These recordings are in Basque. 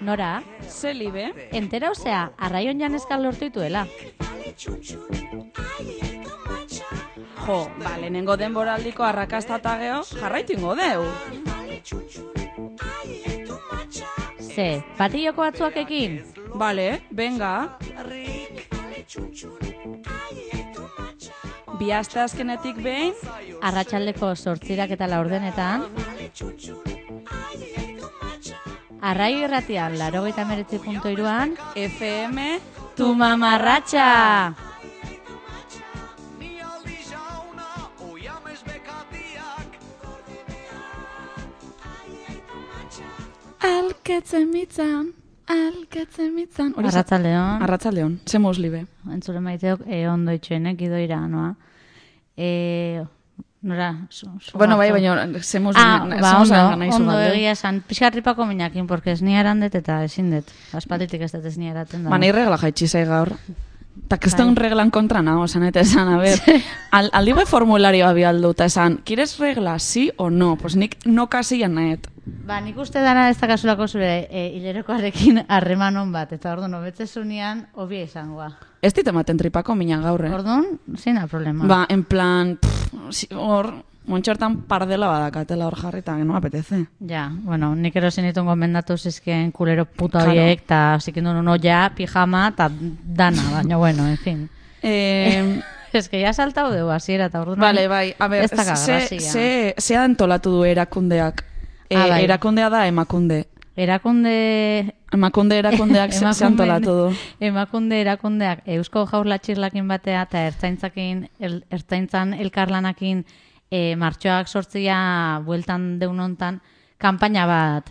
Nora, Zelibe. entera osea, arraion janezkal lortu dituela. Jo, lehenengo denboraldiko arrakasta eta geho, jarraitu ingo deu. Ze, patilloko batzuakekin? Bale, venga. Bi aste azkenetik behin, Arratsaldeko 8 eta 4 Arraio irratian, 89.3 FM, Tu mamarratxa! Alketzen mitzan. Arratsaldeon. Arratsaldeon, ze muslibe. Entzure maiteok ondo itxoenek idoira, noa. Nora, Bueno, baina ze muslibe. Ondo egia esan. Pixkarripako minakin, porque ez niarandet eta ezin dut. Aspalditik ez dut ez niaraten da. Nahi regla jaitsi zai gaur. Ta que estoy un reglan kontra nago, eta esan, a ver, aldi bai formularioa bialdu, eta esan, ¿quieres regla, sí o no? Pues nik no kasian nahet. Nik uste dana ez da kasulako zure hilerokoarekin harremanon bat, eta orduan, obetzezunean, obia izangoa. Ez dit ematen tripako minan gaurre. Orduan, zina problema. En plan, hor, montxortan pardela badakatela hor jarrita, no apetece. Ja, bueno, nik erosin ditun gomendatu zizken kulero puta horiek, eta zikindu nuno ja, pijama, eta dana, baina bueno, en fin. Ez que ya saltau deu, hasiera eta orduan. Vale, bai, a ver, ze antolatu du erakundeak. Erakundea da emakunde. Emakunde erakundeak ze antolatu du. Emakunde erakundeak Eusko Jaurlatxirlakin batea eta ertzaintzan elkarlanakin martxoak sortzia bueltan deunontan kanpaina bat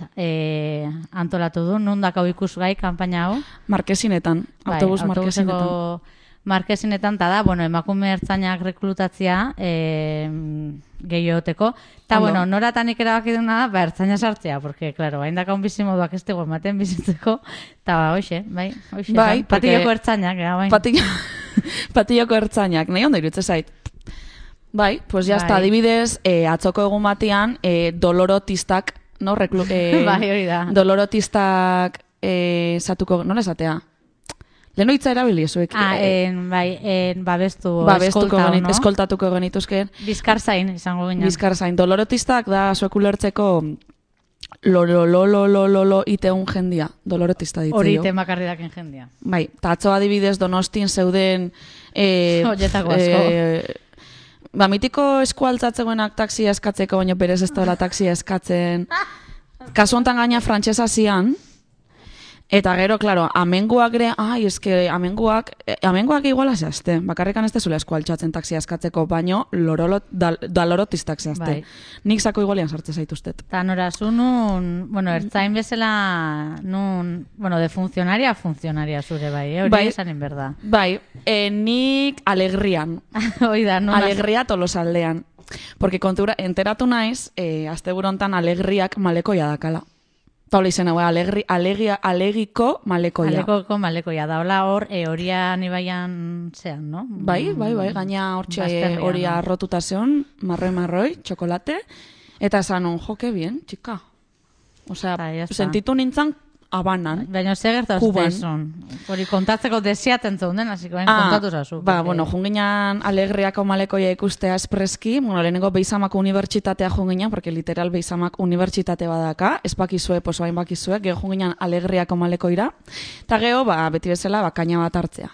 antolatu du. Nundakau ikusgai kanpaina hau? Markesinetan, autobus markesinetan. Markesinetan, eta da, bueno, emakume ertzainak rekrutatzia gehioteko. Eta, bueno, noratanik erabaki duna da, ertzaina sartzea, porque, claro, hain daka un bizimoduak ez dugu ematen bizitzeko, eta, hoxe, bai, patilloko ertzainak, bai. Patilloko ertzainak, nahi ondo irutze zait. Bai, pues ya está, adibidez, atzoko egun batean, dolorotistak, no, bai, hori da. Dolorotistak, zatuko, nola esatea? Leheno hitza erabili ezuek. Babestu, eskoltatuko genituzken. Bizkarzain, izango ginen. Bizkarzain. Dolorotistak da zuek ulertzeko lo iteun jendia. Dolorotista ditzeo. Hori ite makarridaken jendia. Bai, eta atzo adibidez Donostin zeuden... Oietako asko. Mitiko eskualtzatzegoenak taksia eskatzeko, baina berez ez dela taksia eskatzen. Kasu hontan gaina frantsesa zian. Eta gero, claro, amenguak ere, amenguak iguala zehazte. Bakarrikan ez dezula eskualtxatzen taksia eskatzeko, baino dalorotistak zehazte. Bai. Nik zako igualian sartze zaituztet. Eta nora, zu nun, bueno, ertzain bezala, nun, bueno, de funcionaria zure bai, hori esanin berda. Bai, nik alegrian. Oida, nun. Alegria tolosaldean. Porque kontura, enteratu naiz, asteburu hontan alegriak malekoia dakala. Eta hola izena, alegiko malekoia. Alegiko malekoia, da hola hor, horia nibaian zean, no? Bai, gaina hortxe horia arrotuta zeon, marroi, txokolate, eta esan un, jo, que bien, txika. Osea, sentitu nintzen abanan. Baina ze gertazte son. Hori kontatzeko desiaten zeunden, hasiko kontatu zazu. Bueno, junginan alegriako malekoia ikustea espreski, bueno, lehenengo Beizamako unibertsitatea junginan, porque literal Beizamak unibertsitate badaka, ez bakizue, poso hain bakizue, geho junginan alegriako malekoira, eta geho, beti bezala, kaina bat hartzea.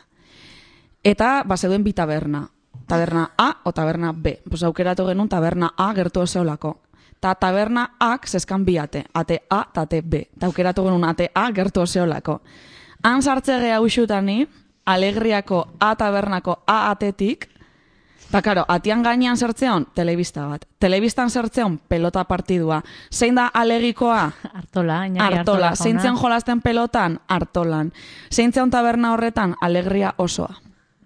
Eta, zeuden bi taberna. Taberna A o taberna B. Pues aukeratu genuen taberna A gertu oseolako. Ta taberna A zeskan bi ate A eta ate B. Ta aukeratu genuen ate A gertu oseolako. Han sartze geha usutani, alegriako A tabernako A atetik, eta karo, atian gainean zertzeon, telebista bat. Telebistan zertzeon, pelota partidua. Zein da alegikoa? Artola. Zeintzen jolasten pelotan? Artolan. Zeintzen taberna horretan? Alegria osoa.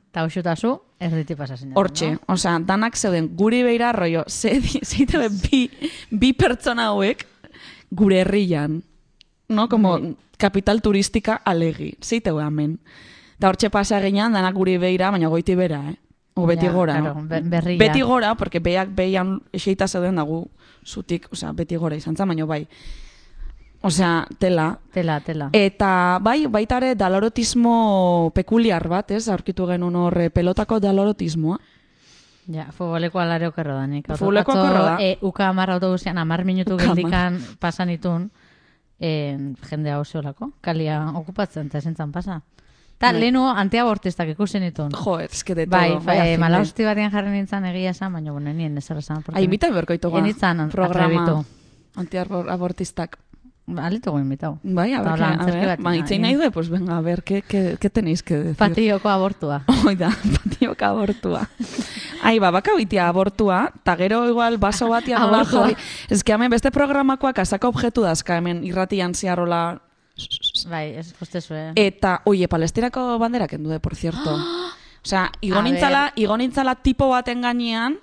Eta usutazu, ez diti pasatzen. Hortxe, osea, danak zeuden guri beira rollo, zeite bi pertsona hauek gure herrian, no? Como kapital turistika alegi, zeite hemen. Eta hortxe pasa ginean, danak guri beira, baina goiti bera, O beti gora, claro, berria. Beti gora, porque behiak behian eseita zeuden dagu zutik, osea, beti gora izan zan, baina bai. Osea, tela. Tela. Eta baita ere dalorotismo pekuliar bat, ez? Aurkitu genuen hor pelotako dalorotismoa. Ja, futboleko alare okerro da nik. Futboleko okerro da. Uka 10 autobusean 10 minutu geldikan pasan itun, jende hau zeolako, kalia okupatzen, eta esentzan pasa. Ta, lehenu antiabortistak ikusen itun. Jo, eske de todo. Bai, malausti batean jarri nintzen egia esan, baina bueno, nien ezer esan. Invita berkoitu ga. Enitzan programa antiabortistak. Alito go invitado. Bai, a ver, itzein nahi du, pues venga, a ver, ¿qué tenéis que decir? Patioko abortua. Oida, patioko abortua. Baka bitia abortua, ta gero igual baso batian nola jarri. Ez que hemen beste programakoak asaka objektu dazka hemen irratian ziarrola. Bai, ez kostezue. Eta, Palestinako bandera kendu por cierto. Osea, igonintzala tipo baten gainean,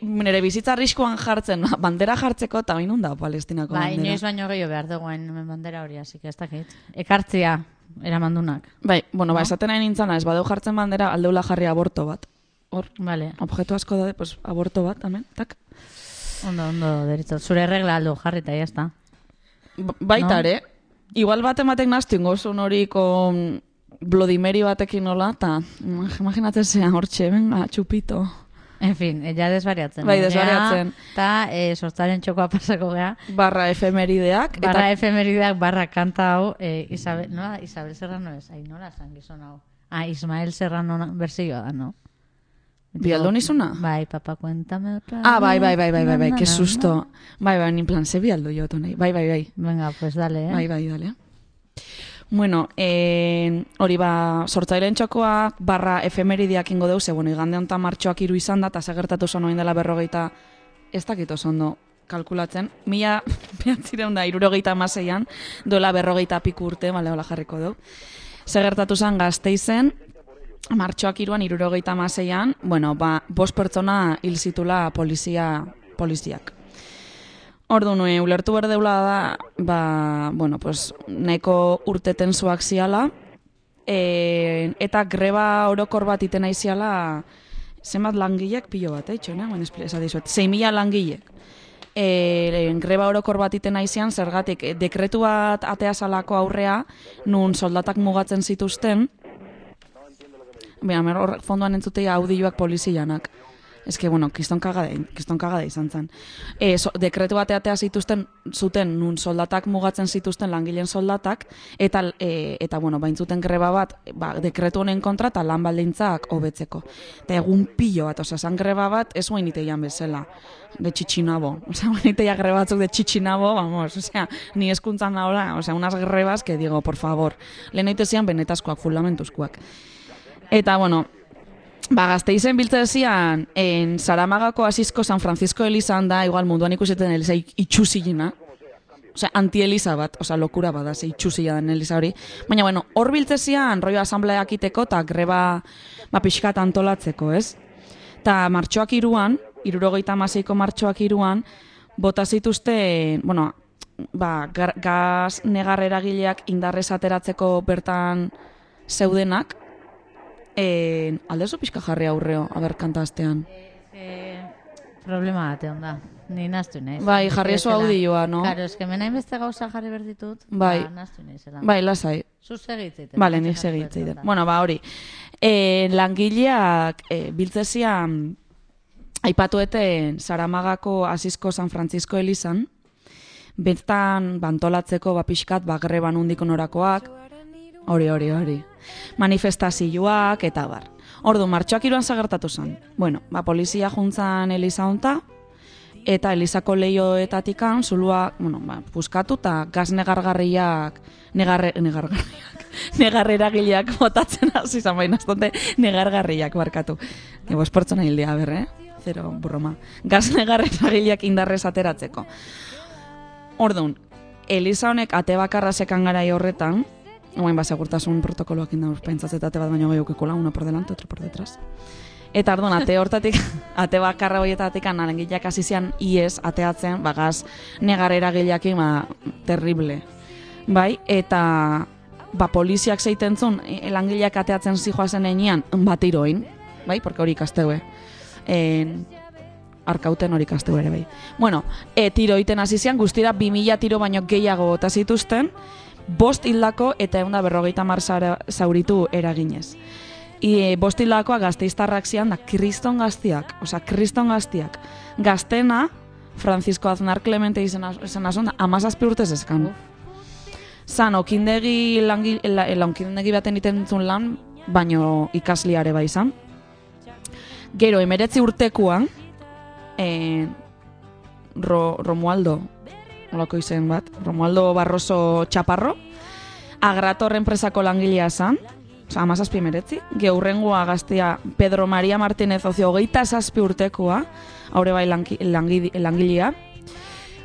nire bizitza arriskuan jartzen, bandera jartzeko, eta bainun da Palestinako bandera. Inoiz baino gehiago behar duguen bandera hori, así que ez dakit. Ekartzia, eramandunak. Esaten nahi nintzana, ez badeu jartzen bandera, aldeula jarri aborto bat. Hor, vale. Objektu asko daude, pues, aborto bat, amen, tak. Ondo, deritzot. Zure regla aldo jarri eta jazta. Baitare, igual bat ematek naztu ingozun hori kon Bloody Mary batekin nola, eta imaginatzen zean hortxe, venga, txupito. En fin, ja desbariatzen. Bai, desbariatzen. Eta sortzaren txokoa pasako gea. Barra efemerideak. Barra kanta hau, Isabel Serrano ez, nola zan gizon hau. Ismael Serrano berzioa da, no? ¿Bialdun izuna? Bai, papa, cuéntame otra. Bai, que susto. Bai, ni plan, ze bialdu jo tonei. Bai. Venga, pues dale, Bai, dale. Bueno, hori sortzaileen txokoa barra efemerideak ingo deuz, igande honetan martxoak 3 izan da, eta segertatu zon oin dela 40, ez dakit oso ondo kalkulatzen, 1976an, dola 40 piku urte, hola jarriko du. Segertatu zen Gasteizen, martxoak 3an, 76an, 5 pertsona hil zitula poliziak. Orduan, ulertu berdeula da, nahiko urte tensuak ziala, eta greba orokor bat itena iziala, zenbat langilek, pilo bat, esadizuet, 6.000 langilek. Greba orokor bat itena izian, zergatik, dekretu bat atea salako aurrea, nun soldatak mugatzen zituzten, horrek fondoan entzutea audioak polizianak. Ez que, kiston kagada izan zen. Dekretu bateatea zuten nun soldatak mugatzen zituzten langileen soldatak, eta baintzuten greba bat, dekretu honen kontra eta lan baldintzak hobetzeko. Eta egun pilo bat, zan greba bat, ez guain iteian bezala, de txitxinabo. Guain iteia greba batzuk de txitxinabo, ni eskuntzan nahola, unas grebas que digo, por favor, lehen eitezian benetazkoak, fundamentuzkoak. Eta, Gasteizen biltze dezian, Saramagako Asizko San Francisco Elizan da, igual munduan ikuseten eliza itxuzilina, anti-eliza bat, lokura bada, itxuzila den eliza hori. Baina, hor biltze zian, roio asambleak iteko, eta greba pixkat antolatzeko, ez? Eta martxoak 3an, 76ko martxoak 3an, bota zituzten, gaz negar eragileak indarrez ateratzeko bertan zeudenak, aldezu pixka jarri aurreo, kantaztean. Problema bate onda. Ni naztu nahiz. Bai, jarri eso audioa, no? Claro, es que menain beste gauza jarri berditut. Bai. Naztu nahiz. Bai, lasai. Zu segitzeit. Bale, nik segitzeit. Hori. Langileak biltzezian aipatueten Saramagako Asizko San Francisco Elizan, bertan bantolatzeko pixkat greban undiko norakoak, hori. Manifestazioak eta bar. Ordu, martxoak 3an zagertatu zen. Polizia juntzan Eliza honta, eta Elizako lehioetatikan zulua, puskatu eta gaz negargarriak, negarreragileak botatzen hasi izan baina, negargarriak barkatu. Ez pertsona hildea, zero broma. Gaz negarreragileak indarrez ateratzeko. Orduan, Eliza honek ate bakarra sekan garai horretan, segurtasun protokoloak indauz pentsatzetate bat baino gehiukikola, una por delante, otro por detrás. Eta orduan, ate hortatik, ate bakarra horietatik langileak hasi zian ies ateatzen, gaz negar eragileakin, terrible. Bai, eta poliziak zeitentzun, langileak ateatzen zijoazen enean, bat iroin, bai, porque hori ikasteue. arkauten hori kastu ere bai. Bueno, tiro iten hasi zian, guztira 2000 tiro baino gehiago bota zituzten, 5 hildako eta 150 zauritu eraginez. 5 hildakoa Gasteiztarrak zian da kriston gaztiak, gaztena, Francisco Aznar Clemente izena zon, 17 urtez eskan. Zan, okindegi baten itentzun lan, baino ikasliare bai izan. Gero, 19 urtekoan, Romualdo, olako izen bat, Romualdo Barroso Chaparro, Agrator enpresako langilea zan, 17. Geurrengoa gaztea Pedro María Martínez Ocio 27 urtekoa, haure bai langilea.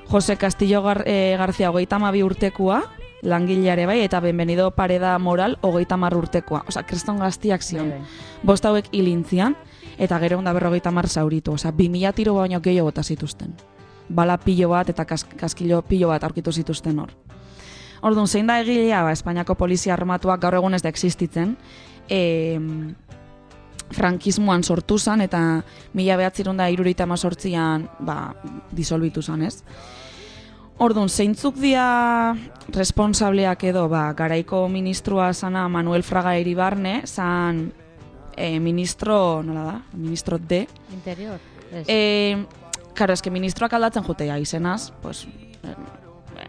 Jose Castillo García 32 urtekoa, langileare bai, eta Benvenido Pareda Moral 30 urtekoa. Osa, kriston gaztiak zion. 5 hauek hilintzian, eta gero 150 zauritu. Osa, 2000 tiro baino gehiago bota zituzten. Bala pilo bat eta kaskilo pilo bat aurkitu zituzten hor. Orduan, zein da egilea, Espainiako polizia armatuak gaur egun ez da existitzen, frankismoan sortu zan, eta 1978an disolbitu zan, ez? Orduan, zeintzuk dia responsableak edo, garaiko ministroa zana Manuel Fraga Iribarne, zan ministro, nola da? Ministro D. Interior. Karo, eske ministroak aldatzen jutea izenaz, pues,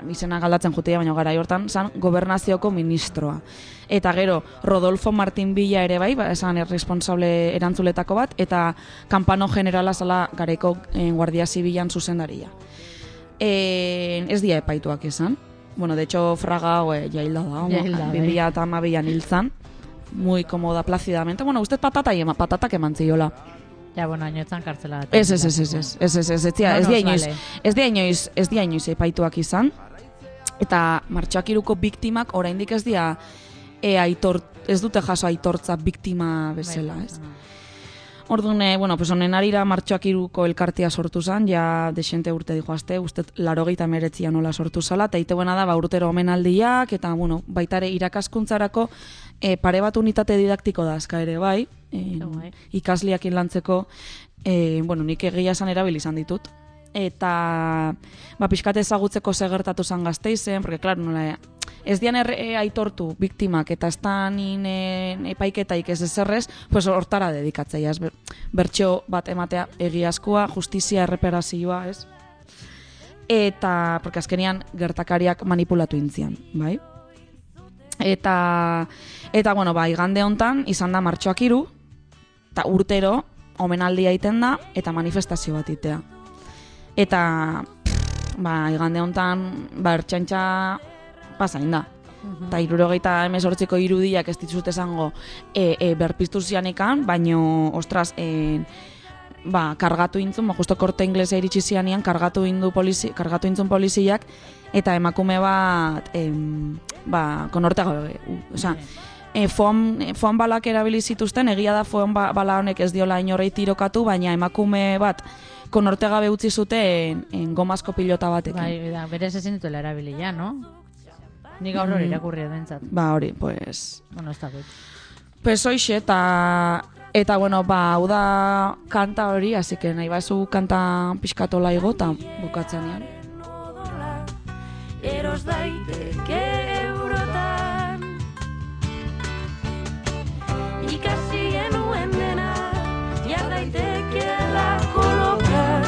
izenak aldatzen jutea, baina garai hortan zan gobernazioko ministroa. Eta gero, Rodolfo Martín Villa ere bai, esan responsable erantzuletako bat, eta Kampano Generala zala garaiko Guardia Zibilan zuzendaria. Ez dia epaituak esan. Bueno, de hecho, Fraga jailda da, 2012an hiltzan, muy cómoda, plácidamente. Bueno, usted patatak eman ziola. Ja, bueno, ainoetzan kartzela bat. Ez dia inoiz epaituak izan. Eta Martxoak 3ko biktimak oraindik ez dia ez dute jaso aitortza biktima bezala, ez? Orduan, pues honen arira Martxoak 3ko elkartea sortu zen, ja desente urte dijoazte, uste 89 nola sortu zala, eta ite buena da, urtero omenaldiak, eta, bueno, baitare irakaskuntzarako pare bat unitate didaktiko da azka ere bai, ikasliak lantzeko, nik egia esan erabili izan ditut. Eta pixkat ezagutzeko segertatu zan Gasteizen, porque, claro, nola, ez dian aitortu biktimak eta ez da nien epaiketaik ez ezerrez, pues hortara dedikatzea, bertxo bat ematea egiazkoa, justizia, erreparazioa, ez? Eta, porque azkenian gertakariak manipulatu intzian, bai? Eta bueno, igande hontan izan da Martxoak 3, eta urtero omenaldia egiten da, eta manifestazio bat itea. Eta, igande hontan, ertzaintza pasain da. Eta 78ko irudiak ez dituzut esango berpiztu zianekan, baino, ostras, kargatu intzun, justo korte inglesa iritsi zianean, kargatu intzun poliziak, eta emakume bat, konorte gabe, oza, foam balak erabili zituzten, egia da foam bala honek ez diola inorrei tirokatu, baina emakume bat konorte gabe utzi zuten gomazko pilota batekin. Bai, berez ezin dituela erabili ja, no? Nik gaur hori irakurri edentzat. Hori, pues... Bueno, ez da gut. Pues hoxe, eta bueno, hau da kanta hori, así que nahi bazu kanta pixkatola igo, eta bukatzen ean. Eros daiteke eurotan ikasi genuen dena jar daitekeela kolokan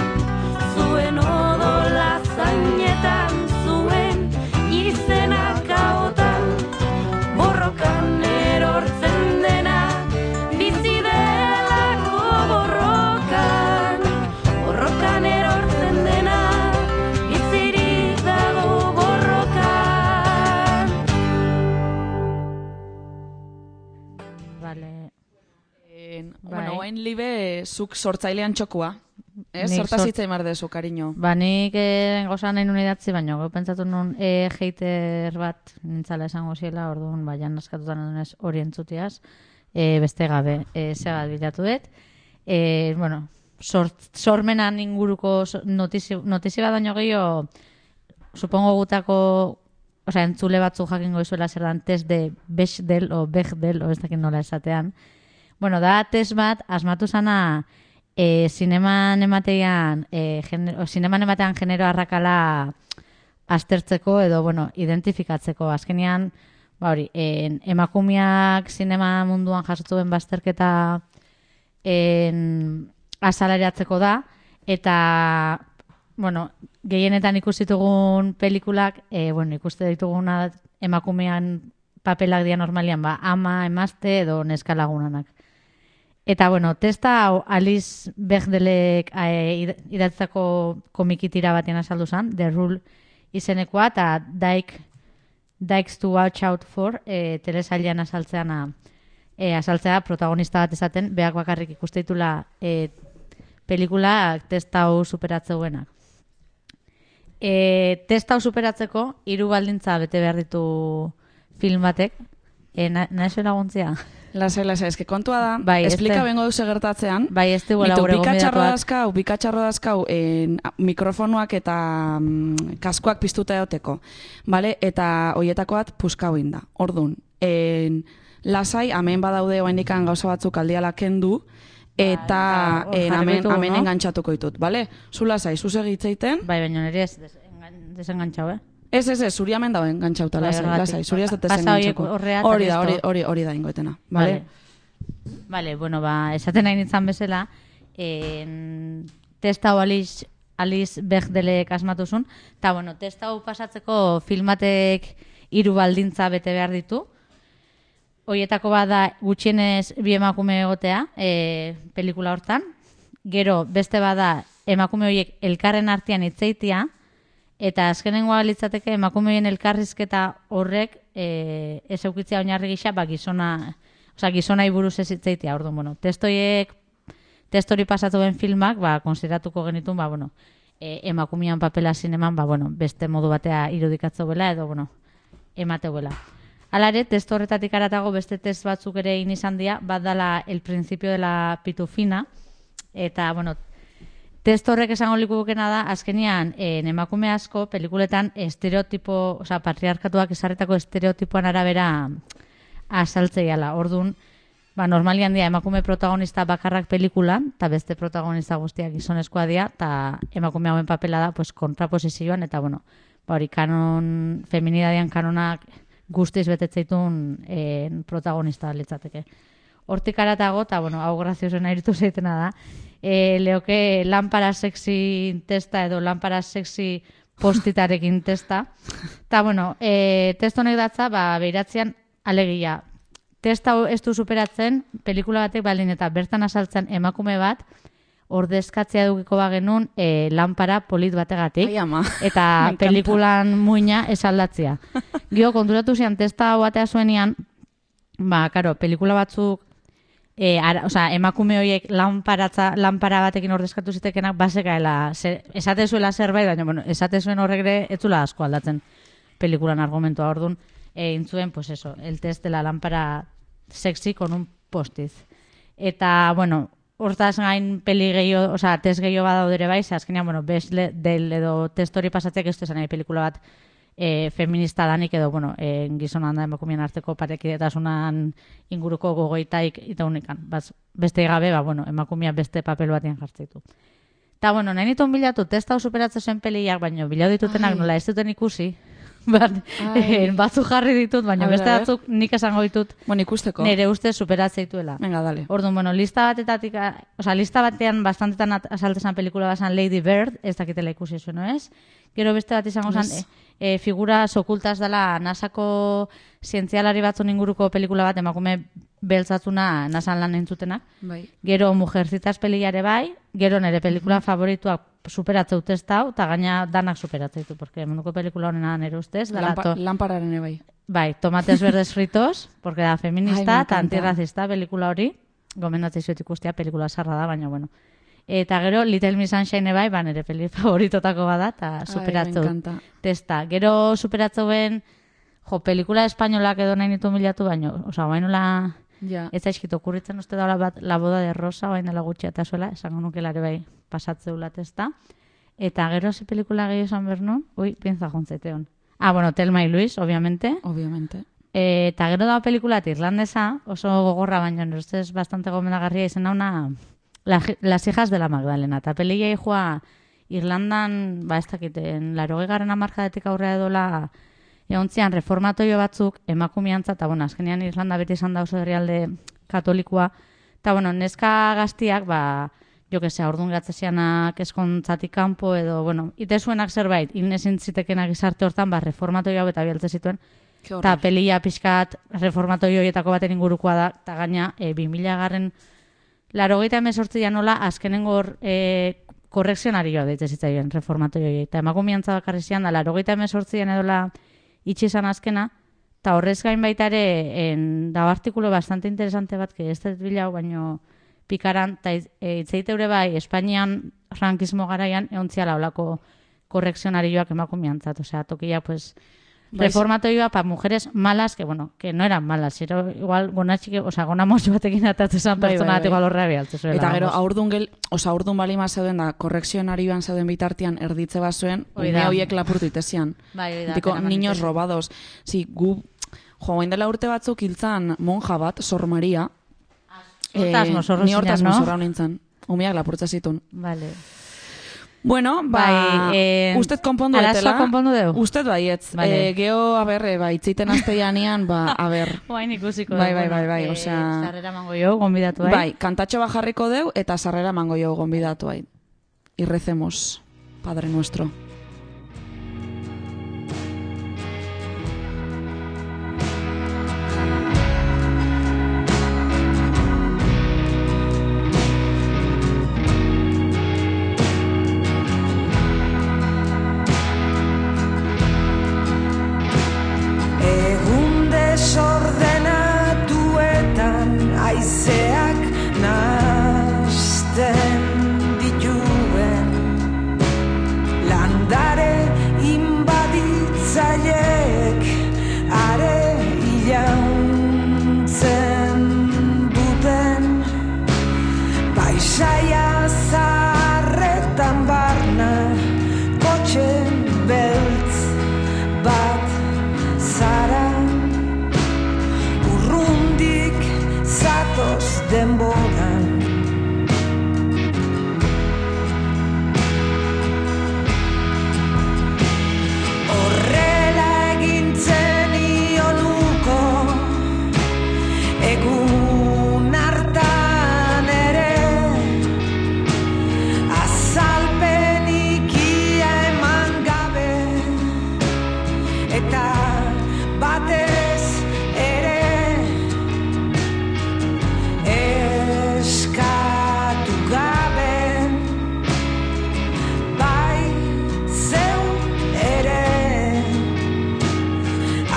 zuen odola zainetan zuen izenak haotan borrokan erortzen dena bizi delako borrokan erortzen dena bizirik dago borrokan. Vale. Bueno, oain libe zuk sortzailean txokua. Zertaz hitzai mardezu, kariño. Nik gozan nahi nun idatzi, baina gau pentsatu nun hater bat nintzala esango ziela, orduan jan askatutan edunez hori entzutiaz, beste gabe, zegat bilatu dut. Bueno, sormenan inguruko notizia bat baino gehiago, supongo gutako, entzule batzu jakingo izuela zer dan test de Bechdel o ez dakit nola esatean. Bueno, da test bat asmatu zana zineman ematean genero arrakala aztertzeko edo, bueno, identifikatzeko. Azkenean, hori, emakumeak zinema munduan jasotzen bazterketa azaleratzeko da, eta, bueno, gehienetan ikusitugun pelikulak, ikuste dituguna emakumean papelak dia normalian, ama, emazte edo neskalagunanak. Eta, bueno, testa hau Alice Bechdelek idatzako komikitira batean azaldu zen, The Rule izenekoa, eta Dykes to Watch Out For, telesailean azaltzea protagonista bat esaten, beak bakarrik ikuste ditula pelikula testa hau superatzeuenak. Testa hau superatzeko, 3 baldintza bete behar ditu film batek. Nahi laguntzia? Lasai, eske kontua da, Bai, esplika bengo duze gertatzean, bai, ez duela gure gomidatuak. bikatxarro dazkau mikrofonuak eta kaskoak piztuta eoteko, vale? Eta hoietako bat puskau inda. Ordun, lasai, hemen badaude oaindikan gauza batzuk aldiala kendu, eta hemen engantzatuko ditut, vale? Zu lasai, zu segitzeiten. Bai, baina nire ez desengantxau, Ez, zuri hemen dago engantzauta, lasai, zuri ez dut desengantzako. Hori da ingoetena, vale? Vale, bueno, esaten nahi nintzen bezala, testa hau Alice Bechdelek asmatuzun, eta, bueno, testa hau pasatzeko filmatek 3 baldintza bete behar ditu. Hoietako bada gutxienez 2 emakume egotea pelikula hortan. Gero, beste bada emakume horiek elkarren artean hitzeitia, eta azkenengoa litzateke emakumeien elkarrizketa horrek ez eukitzea oinarri gisa, gizonai buruz ez hitzeitia. Orduan, bueno, testori pasatuen filmak, konsideratuko genitun, emakumean papela zineman, beste modu batea irudikatzeuela edo, emateuela. Hala ere, testo horretatik aratago beste test batzuk ere izan dira, bat dala El principio de la pitufina, eta, test horrek esango likukena da, azkenean, emakume asko, pelikuletan estereotipo, patriarkatuak esarretako estereotipoan arabera azaltzeiala. Orduan, normalian dira emakume protagonista bakarrak pelikulan, eta beste protagonista guztiak gizonezkoa dira, eta emakume hauen papela da, kontraposizioan, eta, hori, feminidadean kanonak guztiz betetzeitun protagonista litzateke. Hortik aratago, eta, hau graziosen airitu zeitena da, leoke lanpara sexy testa edo lanpara sexy postitarekin testa. Eta, test honek datza, behiratzean alegia. Testa ez du superatzen, pelikula batek baldin eta bertan azaltzen emakume bat, ordezkatzea dukiko bagenun lanpara polit bategatik. Ai, ama. Eta pelikulan muina esaldatzea. Gio, konturatu zian, testa batea zuenian, pelikula batzuk emakume horiek lanpara batekin ordezkatu zitekenak basekaela, esate zuela zerbait, baina esate zuen horrek ere ez zula asko aldatzen pelikulan argumentua. Orduan, intzuen, el test de la lámpara sexy con un postiz. Eta, hortaz gain peli gehiago, test gehiago badaudere bai, azkenean, del edo test hori pasatzeak ez du pelikula bat feminista danik edo, gizonan da emakumeen arteko parekidetasunan inguruko gogoitaik eta unikan. Beste gabe, emakumea beste papel batean jartzeitu. Eta, nahi nituen bilatu, testa hau superatzen zen peliak, baina bilatu ditutenak nola ez duten ikusi. Batzuk jarri ditut, baina beste batzuk nik esango ditut nire ustez superatzea Venga, dale. Orduan, lista batean bastantetan asaltezan pelikula bazan Lady Bird, ez dakitela ikusi zuen, ez? Gero beste bat izango zen, figuras okultas dela NASAko zientzialari batzun inguruko pelikula bat, emakume beltzatzuna NASAn lan entzutenak. Bai. Gero Mujercitas peliare bai, gero nire pelikula favorituak superatzeu testa hau, eta gaina danak superatzeitu, porque munduko pelikula honena nire ustez. Lampararen bai. Bai, Tomates verdes fritos, porque da feminista eta antirracista pelikula hori, gomendatzei zuet ikustia, pelikula sarra da, baina Eta gero Little Miss Sunshine bai, nire peli favoritotako bada, eta superatzeu testa. Gero superatzeuen, pelikula espainolak edo nahi nitu milatu, baina, bainola... Ez zaizkit okurritzen uste daula bat La boda de Rosa, baina dela gutxia eta zuela, esango nukelare bai pasatzeula testa. Eta gero ze pelikula gehi esan bernu, pienza jontzeteon. Thelma y Luis, obviamente. Eta gero da pelikula irlandesa, oso gogorra, baina ustez bastante gomendagarria izen dauna Las hijas de la Magdalena. Eta pelia joa Irlandan, ez dakiten, 80. hamarkadatik aurrea edola egontzian reformatoio batzuk emakumeantza, eta azkenean Irlanda beti izan da oso herrialde katolikoa, eta neska gaztiak, jo que sea, orduan gatzezianak eskontzatik kanpo edo, ite zuenak zerbait, hilnezin zitekenak izarte hortan, reformatoio hau eta bialtze zituen, eta pelia pixkat reformatoio horietako baten ingurukoa da, eta gaina 2000 88 nola azkenengo korrekzionarioa deitze zitzaien reformatoio horiek, eta emakumeantza bakarrizian da, 88 edola itxi izan azkena, eta horrez gain baita ere, dago artikulo bastante interesante bat, que ez dut bilau, baino pikaran, eta itzeiteure bai, Espainian frankismo garaian, eontziala olako korrekzionarioak emakumeantzat, osea, tokia, pues, reformatoioa pa mujeres malas, que no eran malas, pero igual gona motxo batekin atatu zen pertsona bat igual horrea bialtze zuela. Eta gero, aurdun balima zeuden da, korrekzionarioan zeuden bitartian erditze bazuen, ume horiek lapurtu itezian. Diko, niños robados. Si, joain dela urte batzuk hiltzan monja bat, Sor Maria, ni hortaz mozorra nintzen. Umeak lapurtza zitun. Vale. Bueno, usted konpondu etela. Arazoa konpondu deu? Usted baietz. Vale. Geo, itziten azteianean, Oain ikusiko. Bai, osea... Sarrera mango jo, gonbidatu hain. Bai, kantatxo bajarriko deu, eta sarrera mango jo, gonbidatu hain. Y recemos, Padre Nuestro. Haizeak nahasten dituen landare inbaditzaileek are ilauntzen duten paisaia zaharretan barna kotxe beltz bat zara urrundik zatoz denboran horrela egintzen ionuko egun hartan ere azalpenik ia eman gabe eta batez ere eskatu gabe bai zeu ere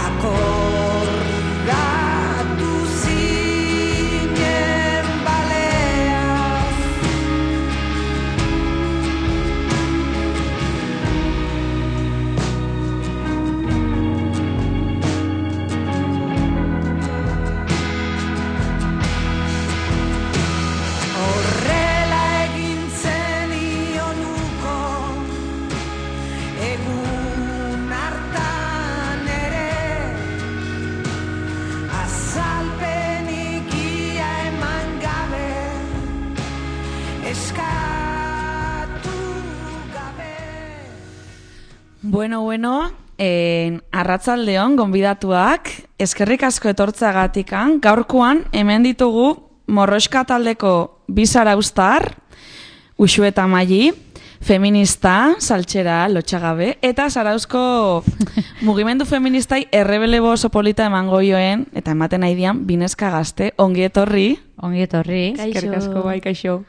akordatu zinen baleaz horrela egintzen ionuko egun hartan ere azalpenik ia eman gabe eskatu gabe. Bueno, arratzaldeon, gonbidatuak, eskerrik asko etortzagatikan, gaurkoan hemen ditugu Morroxka taldeko bi zarauztar, Uxu eta Maili, feminista, saltxera, lotxagabe, eta zarauzko mugimendu feministai errebelebo oso polita emango joen, eta ematen nahi dian, bineska gazte, ongi etorri. Ongi etorri. Eskerrik asko, bai, kaixo.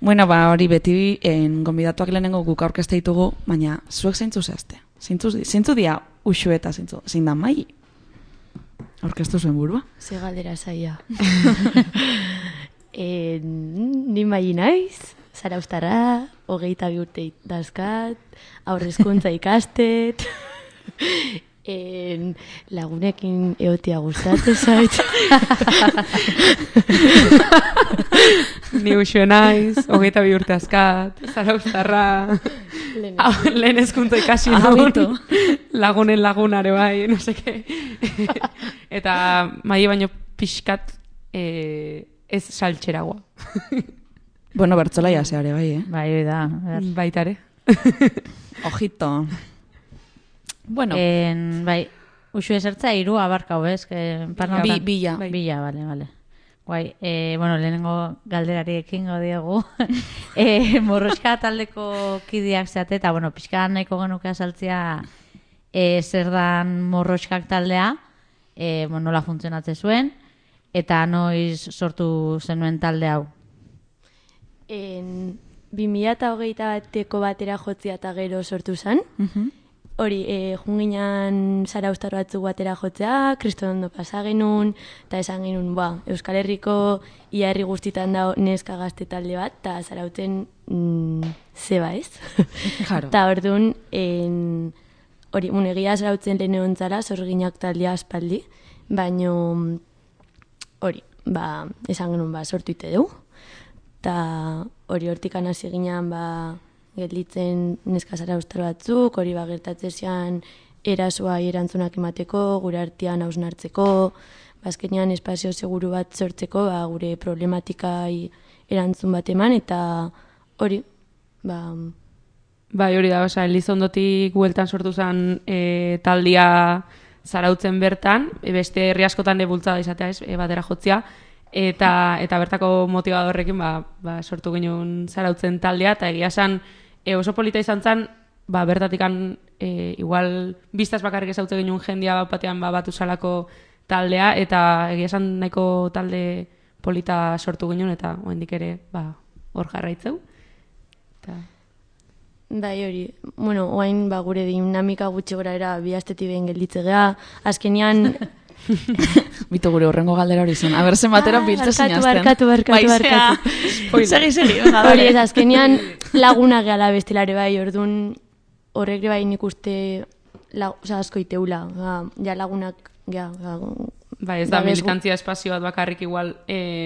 Bueno, hori beti gonbidatuak lehenengo guk aurkezte ditugu, baina zuek zeintzu zehazte? Zeintzu dia Uxu eta zein da Maili? Aurkeztu zuen burua? Ze galdera zaia. Ni Maili naiz, zarauztarra, 22 urte dazkat, aurrezkuntza ikastet, lagunekin eotia gustatzen zait. Ni Uxue naiz, 22 urte azkat, zarauztarra, lehen hezkuntza ikasi dut, lagunen lagunare bai, no seke. Eta Maili baino pixkat ez saltxeragoa. Bueno, bertzolaia zeare, bai, Bai, hori da. Baitare. Ojito. Bueno, Bai, uxu esertza 3 abarkau, ez? Bila. Bai. Bila, vale. Guai, bueno, lehenengo galderari ekingo diegu. Morroska taldeko kideak zeate, eta, bueno, pixka nahiko genuke azaltzea zer dan Morroskak taldea, nola funtzionatze zuen, eta noiz sortu zenuen talde hau. 2021ko batera jotzea eta gero sortu zen. Hori, junginan Zarauztar batzuk batera jotzea, kristodondo pasa genuen, eta esan genuen, Euskal Herriko ia herri guztitan dago neska gazte talde bat, eta Zarautzen zeba ez. Claro. Eta orduan, hori, egia Zarautzen lehen egon zara, zorginak taldea aspaldi, baino hori, esan genuen, sortu ite dugu. Eta hori hortikan hasi ginen, gelditzen neska Zarauztar batzuk, hori gertatzean erasoa erantzunak emateko, gure artean hausnartzeko, azkenean espazio seguru bat sortzeko, gure problematikai erantzun bat eman, eta hori, Bai, hori da, Elizondotik bueltan sortu zen taldia Zarautzen bertan, beste herri askotan bultzada izatea ez, batera jotzea, eta bertako motivadorrekin sortu ginen Zarautzen taldea, eta egia esan oso polita izan zen, bertatikan igual biztaz bakarrik ezautze ginen jendia batean batu salako taldea, eta egia esan nahiko talde polita sortu ginen, eta oraindik ere hor jarraitzeu. Bai, hori, oain gure dinamika gutxi gora era bi astetik behin gelditze gea, azkenean Bitu gure horrengo galdera hori zen. Aber, zenbatera biltze zinazten. Barkatu. Segi. Hori ez, azkenean laguna gehala bestelare bai, orduan horrek bai nik uste asko iteula. Ja lagunak, Bai, ez da militantzia espazio bat bakarrik igual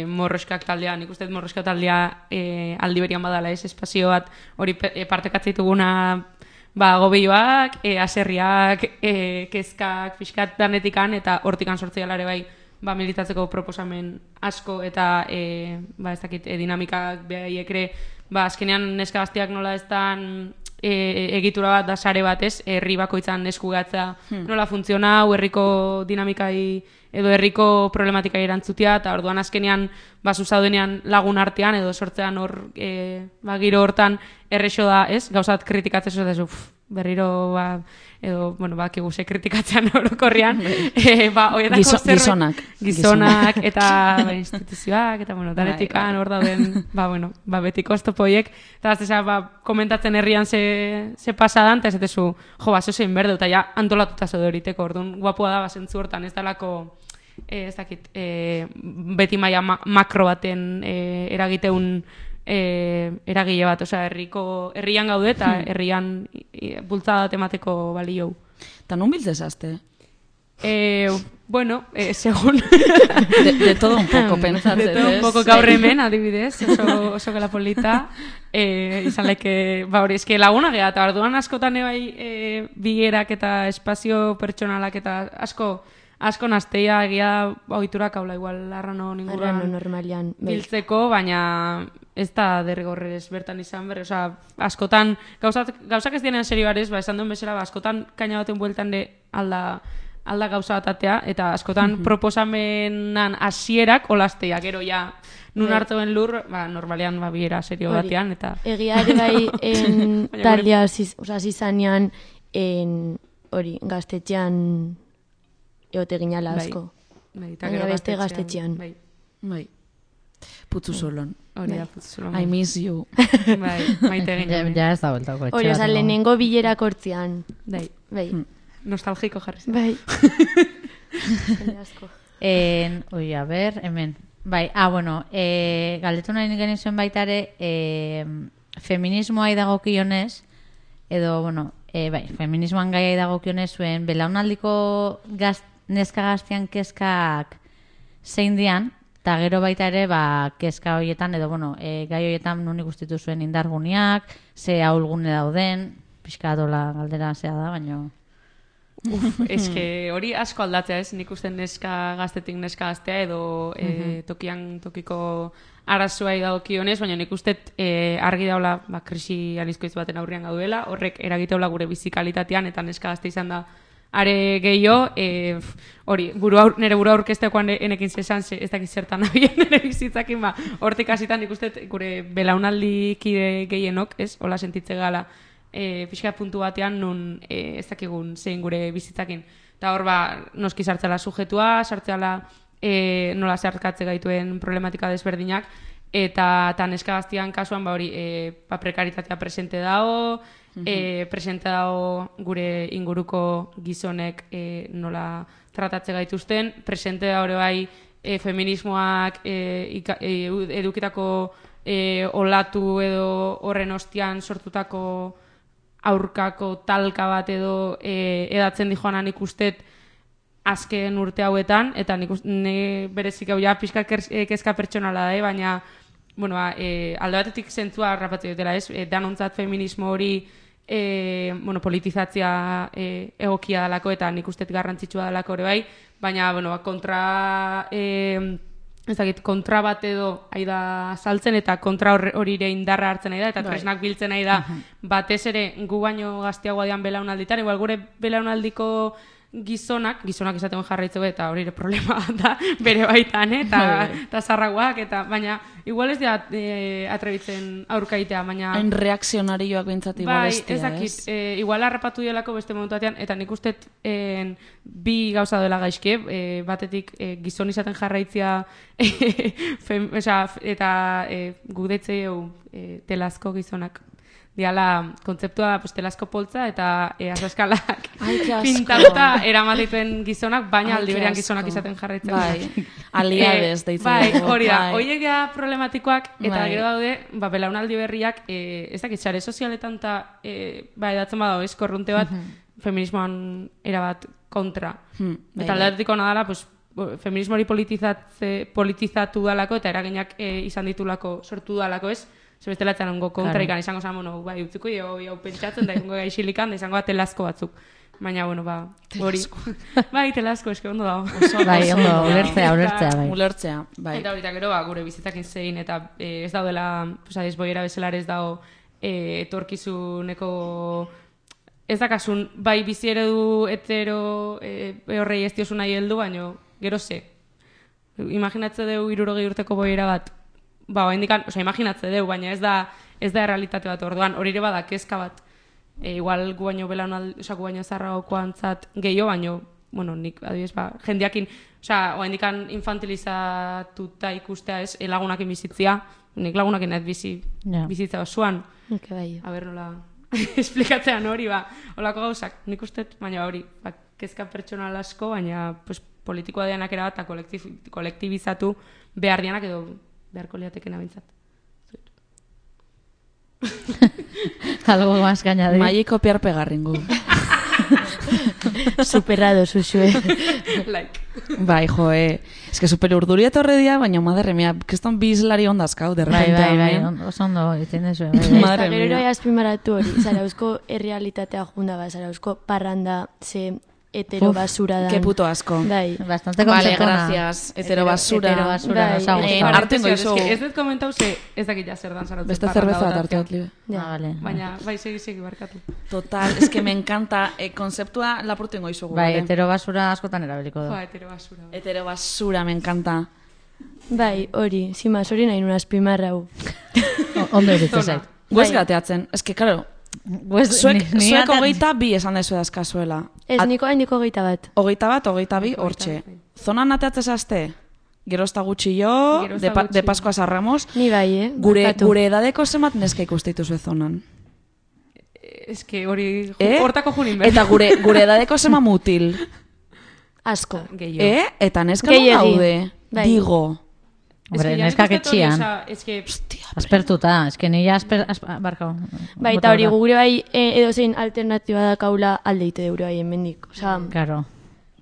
Morroskak taldea, nik uste Morroskak taldea aldi berian badala ez espazio bat hori partekatzen dituguna gobioak, aserriak, kezkak, fiskat danetikan, eta hortikan sortzea ere bai militatzeko proposamen asko, eta ez dakit, dinamikak behaiekre, azkenean neska gaztiak nola ez dan egitura bat da sare batez, herri bakoitzan eskugatza nola funtzionau, herriko dinamikai edo herriko problematikai erantzutia, eta orduan azkenean zuzaudenean lagun artean edo sortzean hor giro hortan errexo da, ez? Gauzat kritikatzen zuzatzen berriro edo, bakigu ze kritikatzean orokorrian gizonak eta instituzioak eta, danetikan hor dauden betiko oztopoiek eta komentatzen herrian ze pasadan, eta ez dezu zein berde, eta ja antolatuta zaude horiteko, orduan guapua da zentzu hortan, ez dalako ez dakit, beti maila makro baten eragiteun eragile bat, herrian gaude eta herrian bultzada temateko balio. Eta nun biltzezazte? Según de todo un poco pensatzen. De todo un poco gaur hemen, adibidez, oso gela polita. Izan laike, hori, eske laguna geha, eta orduan askotan bai bilerak eta espazio pertsonalak eta asko nazteia egia ohiturak haula igual arrano ninguran normalian biltzeko, baina ez da derrigorrez bertan izan berri, askotan gauzak ez dienen serioarez, esan duen bezala, askotan kaina baten bueltan de alda gauza batatea, eta askotan proposamenan hasierak olazteak, gero ja nun hartuen lur, normalean biera serio batean, eta egia ere bai taldea hasi zanean hori gaztetxean egote ginala asko. Baina beste gaztetxean. Bai. Putzu solon. Hori da, putzu solon. I miss you. Bai, maite ginen. Ja ez da bueltako etxea. Hori, lehenengo bilerak hortzean. Bai. Nostalgiko jarri zen. Bai. Ui, a ber, hemen. Bai, galdetu nahi genizuen baitare, feminismoa idagokionez, edo, feminismoan gaia idagokionez zuen, belaunaldiko neska gaztian kezkak zein dian, eta gero baita ere, kezka horietan, edo, gai horietan nun ikustitu zuen indarguniak, ze ahulgune dauden, pixka dola galdera zea da, baina... Eske hori asko aldatzea ez, nik uste neska gaztetik neska gaztea edo tokian tokiko arazoa dagokionez, baina nik uste argi daula krisi anizkoiz baten aurrean gaudela, horrek eragiteula gure bizikalitatean eta neska gazte izan da are gehiago, hori, nire burua aurkeztekoan enekin zesan, ez dakit zertan nabien nire bizitzakin, hortik hasitan nik uste gure belaunaldi kide gehienok, ez, hola sentitze gala, pixka puntu batean nun ez dakigun zein gure bizitzakin. Eta hor, noski sartzela sujetua, sartzela nola zeharkatze gaituen problematika desberdinak, eta neska gaztian kasuan, hori, prekaritatea presente dago, presente dago gure inguruko gizonek nola tratatze gaituzten, presente da hori bai feminismoak edukitako olatu edo horren ostian sortutako aurkako talka bat edo edatzen dijoanan nik ustet azken urte hauetan, eta nik berezik hau ja pixka kezka pertsonala da, baina bueno, alde batetik zentzua harrapatzen dutela, ez? Danontzat feminismo hori politizatzea egokia dalako eta nik ustet garrantzitsua dalako ere bai, baina kontra kontra bat edo aida saltzen eta kontra horire indarra hartzen nahi da eta tresnak biltzen nahi da batez ere gu baino gazteagoa dian belaunalditan, igual gure belaunaldiko gizonak izaten jarraitzeko eta hori problema da bere baitan, eta zarraguak, baina igual ez dira atrebitzen aurkaitea, baina... Hain reakzionarioak bintzat igual ez dira, ez? Igual harrapatu dielako beste momentuatean, eta nik ustet bi gauza dela gaizke, batetik gizon izaten jarraitzea eta gudetzeu telazko gizonak. Diala, kontzeptua da, telazko poltza eta azaskalak pintatuta eramatituen gizonak, baina aldi berean gizonak izaten jarraitzen. Bai, aliades deitzen. Bai, hori da, horiek da problematikoak, eta gero daude, belaunaldi berriak, ez dakit, sare sozialetan eta edatzen badago, korrunte bat, feminismoan erabat kontra. Eta aldeatiko nadala, feminismo hori politizatu dalako, eta eraginak izan ditulako, sortu dalako, ez? Zebestela etzan ongo kontra ikan, izango zan, bai, utziko hau pentsatzen, da izango gaixilikan, da izango telazko batzuk. Baina, hori. Bai, telazko, eske ondo dago. Bai, ondo, ulertzea, bai. Ulertzea, bai. Eta horita gero, gure bizitakin zein, eta ez daudela, desboiera bezelar ez dago etorkizuneko, ez dakasun, bai, bizi eredu hetero horrei ez diosu nahi heldu, baina, gero ze. Imaginatze deu 60 urteko boiera bat, imaginatze deu, baina ez da errealitate bat orduan, hori ere bada kezka bat. Igual gu baino gu baino zarragokoantzat gehiago, baino, nik, adibidez, jendeakin, oaindikan infantilizatuta ikustea ez, lagunakin bizitzia, nik lagunakin ez bizitza osoan. Nik bai. A ber, nola, esplikatzean hori, holako gauzak, nik ustet, baina hori, kezka pertsonal asko, baina politikoa dianak erabat eta kolektibizatu behar dianak edo beharko liatekena bintzat. Algo más que añadir. Maili kopiar pegarringu. Superado, Susue. Like. Bai, es que super urduria etorre dia, baina madre mia, keston bizlari ondazkau, de repente. Bai, oso ondo, itzen dezu. Madre mia. Gero azpimaratu hori, Zarauzko errealitatea junda ba, Zarauzko parranda, ze hetero basura da. Qué puto asco. Bai. Bastante vale, conceptuona. gracias. Hetero basura. Hetero basura, Bai. nos ha gustado. Artengo izo. Ez dut komentau ze, ez dakit ja zer dan Zarautzen. Beste zerbeza bat hartu libe. Vale. Baina, bai, segi barkatu. Total, es que me encanta. Konzeptua lapurtengo izugu. Bai, hetero basura askotan erabeliko du. Hetero basura. Hetero basura, me encanta. Bai, hori, zimaz hori nahi nuna azpimarrau. Ondo iritze zait. Guez gateatzen, es que, claro, zuek 22 esan dezu dazkazuela. Ez, niko hain diko 21. 22, hortxe. Zonan ateatzez azte? Gerozta gutxi jo, de Pascua Sarramos. Ni bai, Gure edadeko zemat neska ikusteitu zuen zonan. Ez que hori hortako junin behar. Eta gure edadeko zema mutil. Asko. Eta neska non daude. Digo. Hombre, neska ketxian. Aspertuta, eske nila barkau. Bai, eta hori gure bai edozein alternatiba da kaula aldeite deure bai enmendik. Claro.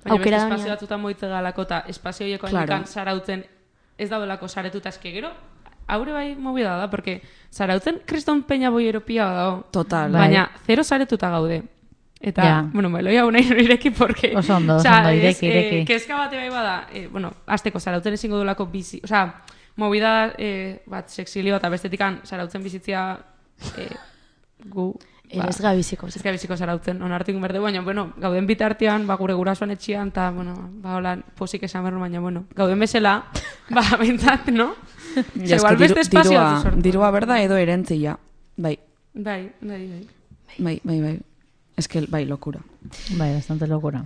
Baina beste espazio batzutan moitze galako eta espazio horieko handikan Zarautzen ez daudelako saretuta eske gero. Haure bai movida da, porque Zarautzen kriston peña boieropia dago. Total. Baina zero saretuta gaude. Eta, Ja. bueno, meloi hau nahi ireki, porque... Oso ondo, ireki. Kezka bate bai bada, bueno, azteko, zarautzen ezingo duelako bizi, movida bat sexilio eta bestetikan zarautzen bizitzia gu... Ez gabiziko. Ez gabiziko zarautzen, onartik berde, baina, bueno, gauden bitartean, gure gurasoan etxian, eta, bueno, hola, posik esan berro, baina, bueno, gauden bezala, bentsat, no? Ja, igual beste espazio bat sortu. Dirua berda edo erentzia. Bai. Bai. Ez que, bai, lokura. Bai, bastante locura.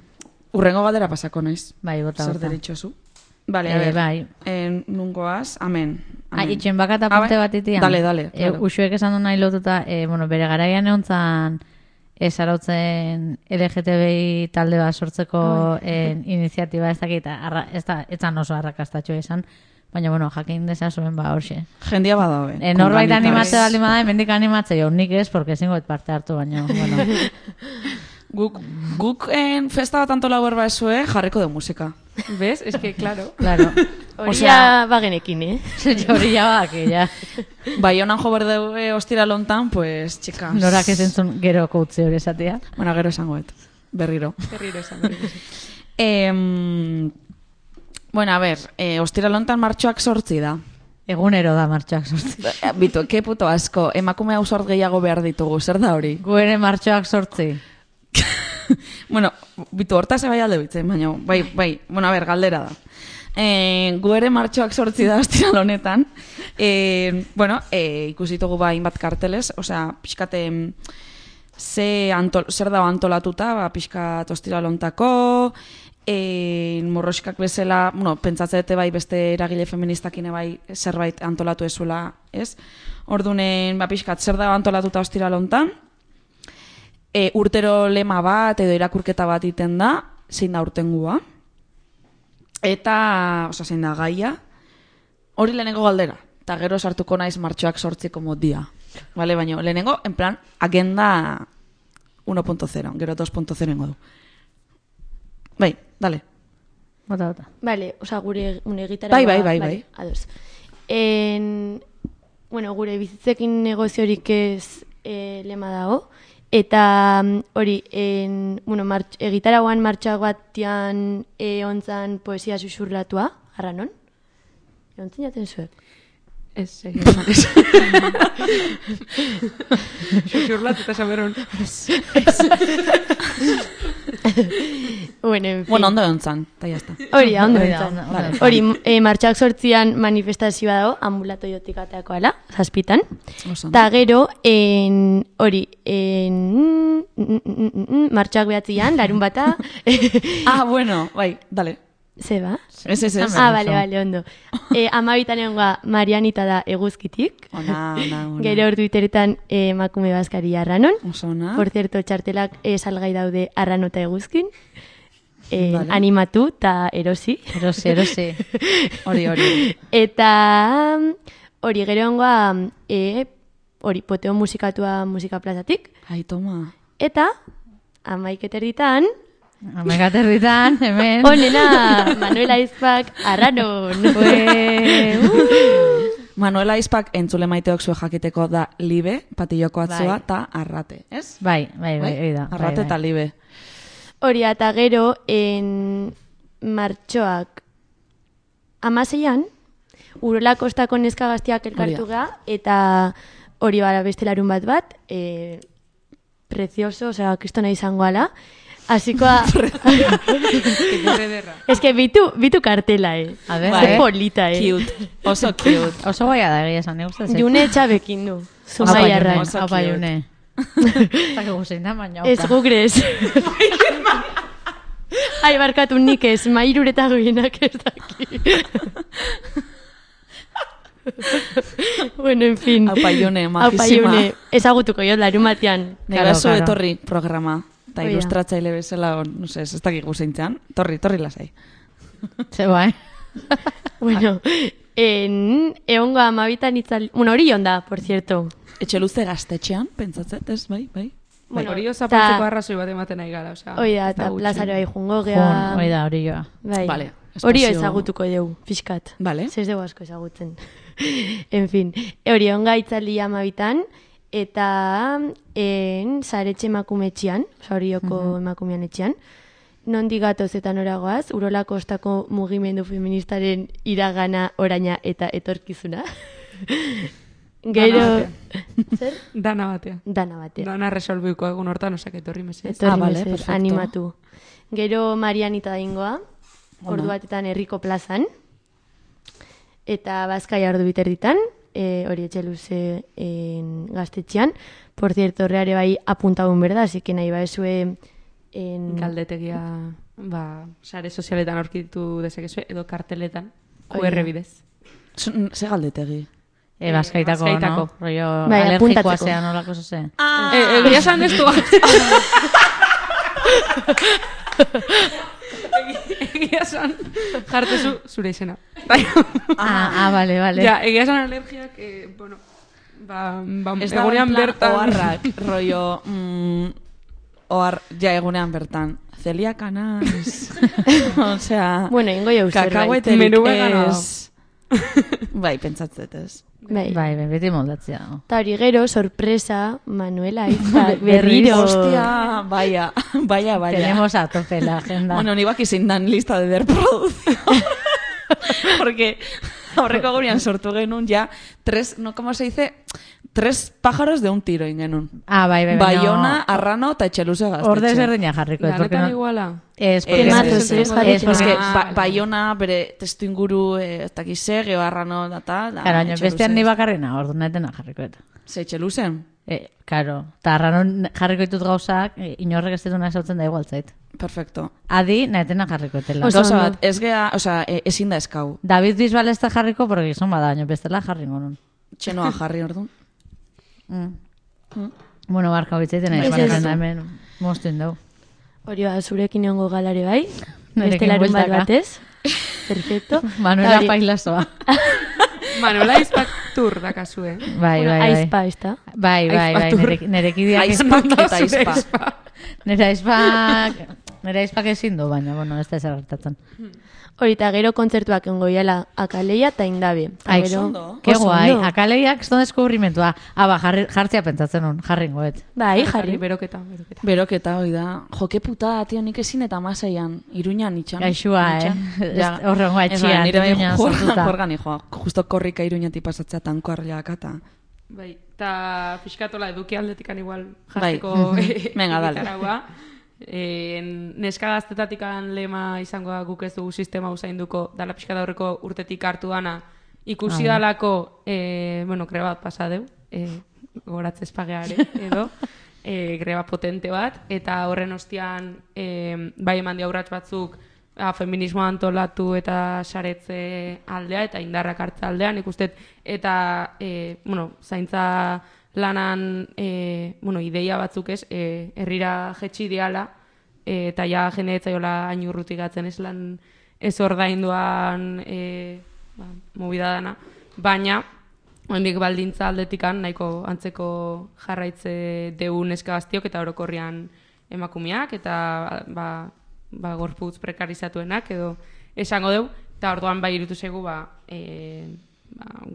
Urrengo galdera pasako naiz. Bai, bota. Zer deritxozu? Vale, a ver. Bai. Nungoaz, amen. Itxen bakat apunte bat itian. Dale. Claro. Uxuek esan du nahi lotuta, bere garaian egontzan zarautzen LGTBI talde bat sortzeko iniziatiba ez dakit, etzan oso arrakastatxo izan, baina, bueno, jakin dezazuen horxe. Jendia badabe. Norbait animatze baldin bada, mendik animatze jo, nik ez, porque ezingo parte hartu, baina, bueno. Guk festa bat antolau berba esue, jarriko de musika. ¿Ves? Es que, claro. Hori ya bagenekin, Hori ya bake, ja. Bai, honan jo berde ostira lontan, pues, txikas. Norak ez entzun gero koutze hori esatea. Bueno, gero esangoet. Berriro esan. Bueno, a ver, ostira lontan martxoak 8 da. Egunero da martxoak 8. Bitu, ke puto asko, emakume ausart gehiago behar ditugu, zer da hori? Gu ere martxoak 8. Bueno, bitu, hortaz ebai alde bitzen, baina, bai, bueno, a ver, galdera da. Gu ere martxoak 8 da ostira honetan. Bueno, ikusitugu hainbat karteles, osea, pixkate zer dago antolatuta, pixkat ostira lontako, morroskak bezala, bueno, pentsatzete bai beste eragile feministakine bai zerbait antolatu ezuela, ez? Ordunen, pixkat, zer dago antolatuta ostira lontan, urtero lema bat edo irakurketa bat iten da, zein da urtengua, eta, zein da gaia, hori lehenengo galdera, eta gero sartuko naiz martxoak 8 modia, vale, baina lehenengo, en plan, agenda 1.0, gero 2.0 du. Bai, dale. Bota. Vale, gure gitara... Bai. Ados. Bueno, gure bizitzekin negoziorik ez lema dago, eta hori, bueno, gitaragoan martxoak batian ontzan poesia susurlatua, arranon? Ontzin jaten zuek? Ez, susurlatu eta saberon. Bueno, en fin. Bueno, ondo ontzan, eta jazta. Hori, ondo ontzan. Hori, martxoak 8 manifestazioa dago, ambulatoiotik ateako ala, 7. Ta gero, hori, martxoak 9 larun bata. Bueno, bai, dale. Zeba? Ez. Vale, ondo. 12 egonga Marianita da eguzkitik. Ona. Gero hor Twitteretan emakume bazkari arranon. Osona. Por cierto, txartelak salgai daude arranota eguzkin. Animatu eta erosi. Erosi. Hori. Eta hori gero egonga hori poteo musikatua musika plazatik. Ai, toma. Eta 11 Amagaterritan, hemen. Onena, Manuela Aizpak, arranon. Manuela Aizpak entzule maiteok zue jakiteko da libe, patilloko atzua, eta arrate, ez? Bai, hori da. Arrate eta libe. Hori, eta gero, martxoak 16an, Urola Kostako neska gaztiak elkartu ga, eta hori bara beste larun bat, precioso, osea, kristona izango ala, Asikoa... Es que bitu kartela, A ver, Ze polita, Cute. Oso cute. Oso goia da egia esan, eguztaz. June txabekin du. Zumai arran. Haupa June. Eta que guzein da, baina Ez gugres. Ai, barkatu nik ez, mairureta goienak ez daki. Bueno, en fin. Haupa June, majísima. Ezagutuko jo, larun batean. Negazo etorri programa. Eta ilustratzaile bezala, no sé, ez dakik guzeintzen. Torri lasai. Ze bai. Bueno, egongo 12 itzali... Bueno, hori onda, por cierto. Etxe luze gaztetxean, pentsatzet, ez, bai. Bueno, hori osapatzeko arrazoi bat ematen nahi gara, osea. Hori da, eta plazaro bai jungo gea. Hori da, hori joa. Bai. Vale. Hori ezagutuko dugu, pixkat. Vale. Zez dugu asko ezagutzen. En fin, hori onga itzali 12an, eta Zaretxe emakumetxean, Orioko emakumean etxean, nondik gatoz eta noragoaz, Urola Kostako mugimendu feministaren iragana, oraina eta etorkizuna. Gero... Zer? Dana batea. Dana batea. Dana resolbiko egun hortan, osak etorri mesez. Etorri vale, mesez, perfecto. animatu. Gero Marianita daingoa, ordu batetan Herriko plazan, eta Bazkaia ordu biterditan, hori etxeluze gaztetxean. Por cierto, horreare bai apuntagun berda, así que nahi baezue... Galdetegia, sare sozialetan aurkitu dezakezu, edo karteletan, QR bidez. Ze galdetegi? Bazkaitako, Bazkaitako. no? Rollo Bai, alergikoa apuntatzeko. zean, olako zoze. Egia esan ez du. Egia esan jartezu zure izena. Vale. Ja, egia esan alergiak, bueno, Ez da egunean bertan. oharrak, rollo... egunean bertan. Celiaka naiz. Osea... Bueno, ingo jau zerbait. Kakahueterik Menu vegano. ez... Bai, pentsatzet ez. Bai. Bai, beti moldatzea. Eta hori gero, sorpresa, Manuela Aizpak, berriro. Hostia, vaya. Tenemos a tope la agenda. Bueno, ni baki zein dan lista de reproducción. Porque aurreko gurean sortu genuen ja ¿cómo se dice? 3 pájaros de un tiro ingenun. Bai. Bayona, Arrano eta Etxeluze gaztetxe. Orde ezberdina jarriko. Lanetan iguala. Es Tematoz, porque... porque Ah, Bayona bere testu inguru ez dakize, geho Arrano da tal. Claro, baina bestean ni bakarrena, ordu netena jarriko eta. Ze Etxeluzen? Claro, eta arranon jarriko ditut gauzak, inorrek ez dituna esautzen da igualtzait. Perfecto. Adi, netena jarriko etela. Oso Gauza ondo. bat, ez gea, osea, ezin da eskau. David Bisbal ez da jarriko, porque gizon bada, baina bestela jarringo nun. Txenoa jarri orduan. Bueno, barka bitzaiten nahi, Ez, ez. baina hemen moztuen dugu. Hori zurekin egongo galare bai. Nerekin Beste larun bat bueltaka. batez. Perfecto. Manuela Hori- Pailazoa. Manuela Aizpak tur dakazue. Bai, Bueno, bai. Aizpa, ez da? Bai, nerekideak Aizpak eta aizpa. Nere aizpak ezin du, baina, bueno, ez da ezer gertatzen. Hori eta gero kontzertuak engo iala Akaleia eta Indabe. Eta Ai, gero- ondo. Ke Oso guai, ondo. akaleiak ez da deskubrimentua. Jartzea pentsatzen nun, jarringoet. Bai, jarri. Beroketa. Beroketa, hoi da. Joke puta, tio, nik ezin eta masaian. Iruñan itxan. Gaixua, Ja. Horrengoa Ez ba, etxian, nire bai Iruñan sortuta. jorgan joa. Justo korrika Iruñatik pasatzea tanko arleak eta... Bai, eta fiskatola eduki aldetikan igual Bai. jartzeko Venga, dale. egitaragua. Neska gaztetatikan lema izango da guk ez dugu sistema usainduko dala pixka da horreko urtetik hartu dana ikusi dalako, bueno, greba bat pasa deu, goratze espageare edo, greba potente bat, eta horren ostian bai eman diaurratz batzuk feminismoa antolatu eta saretze aldea eta indarrak hartza aldea, nik uste, eta bueno, zaintza lanan ideia batzuk ez, herrira jetxi diala, eta ja jende etzaiola hain urrutik gatzen ez lan ez ordainduan movida dana, baina oraindik baldintza aldetikan nahiko antzeko jarraitze deu neska gaztiok eta orokorrean emakumeak eta gorputz prekarizatuenak edo esango deu, eta orduan bai irutu zaigu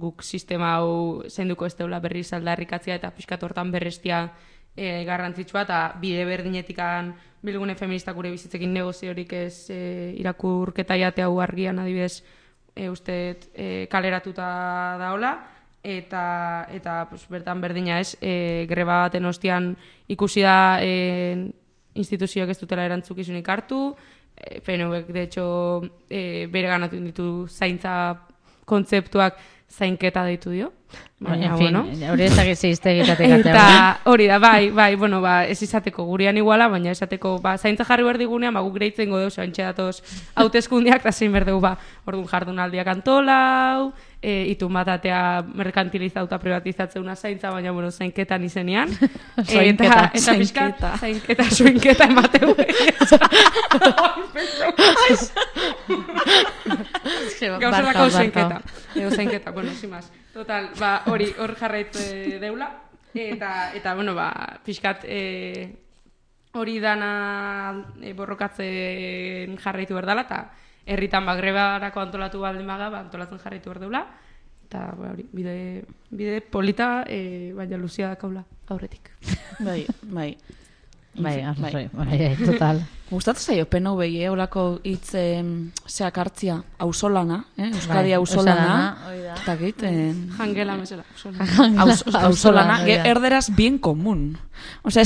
guk sistema hau zenduko ez deula berriz aldarrikatzea eta pixkat hortan berrestia garrantzitsua eta bide berdinetikan bilgune feministak gure bizitzekin negoziorik ez irakurketa jate hau argian adibidez uste kaleratuta daola eta pues, bertan berdina ez greba baten ostian ikusi da instituzioak ez dutela erantzukizunik hartu, PNVek de hecho bere ganatu ditu zaintza kontzeptuak zainketa deitu dio. En fin, hori ezak ez iztegitatik atea. Eta hori da, bai, bueno, ez izateko gurean iguala, baina esateko, zaintza jarri behar digunean, guk greitzen godeu, zaintxe datoz hauteskundiak, eta zein berdegu, orduan jardunaldiak antolau, itun bat atea merkantilizauta privatizatzeuna zaintza, baina, bueno, zainketan izenean. Soinketa. Eta pixka, zainketa, soinketa emateu. Gauzerako zainketa. Edo zainketa, bueno, sin más. Total, hori hor jarraitze deula. Eta bueno, pixkat hori dana borrokatzen jarraitu berdala, eta herritan grebarako antolatu baldin baga, antolatzen jarraitu berdeula. eta hori, bide polita, baina luzia dakaula aurretik. Bai. Bai, total. Gustatzen zaio PNV olako hitz zeak hartzia, auzolana, Euskadi Bai, auzolana, hori da. eta git, Jangela mesela. auzolana, erderaz bien común. Osea,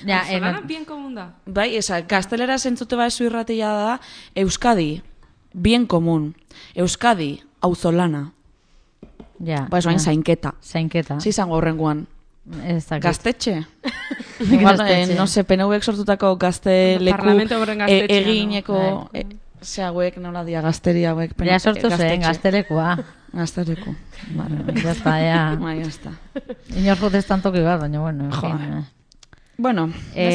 Ja, Auzolana bien común da. bai, gaztelera zentzute ezu irratia da, Euskadi, bien común, Euskadi, auzolana, ja. bai, zoain zainketa. Zainketa. Zizango horrengoan. Ez dakit. Gaztetxe? Igual, Gaztetxe. no se, PNVek sortutako gazte leku Parlamento horren gaztetxea, egineko, Bai. ze hauek, nola dia, gazteri hauek. Ja sortu zen, gaztelekua. Gazteleku. Ya está, ya. Bai, ya está. Inor jotetan toki bat, baina, bueno, en fin. Bueno,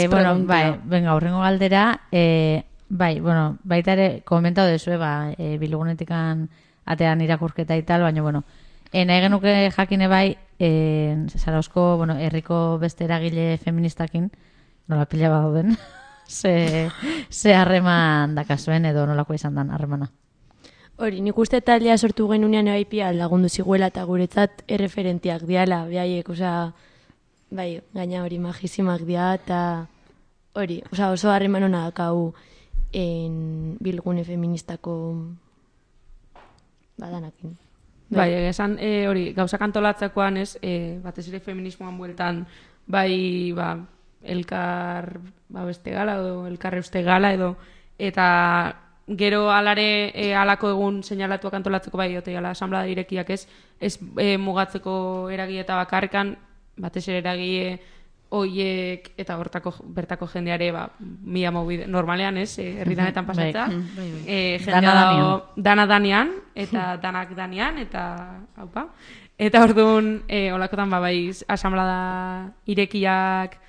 Bueno, bai, venga, horrengo galdera, bai, bueno, baita ere, komentau dezue, bilgunetikan atean irakurketa y tal, baina, bueno, nahi genuke jakine bai, Zarauzko, bueno, herriko beste eragile feministakin, nola pila badauden, ze harreman dakazuen edo nolako izan dan harremana. Hori, nik uste taldea sortu genunean ebaipia lagundu ziguela eta guretzat erreferentiak diala, behaiek, bai, gaina hori magisimak dia, eta hori, oso harreman hona dakau bilgune feministako badanakin. Bai, esan hori, gauzak antolatzekoan ez, batez ere feminismoan bueltan, bai, elkar beste gala edo elkar euste gala edo, eta gero alare alako egun seinalatuak antolatzeko bai, jala, asamblea irekiak ez mugatzeko eragile eta bakarrikan, batez ere eragile oiek eta bertako jendeare mila mobide, normalean ez, herritanetan pasatza, jendea dana danean, eta danak danean, eta haupa. Eta orduan, olakotan bai, asamblada irekiak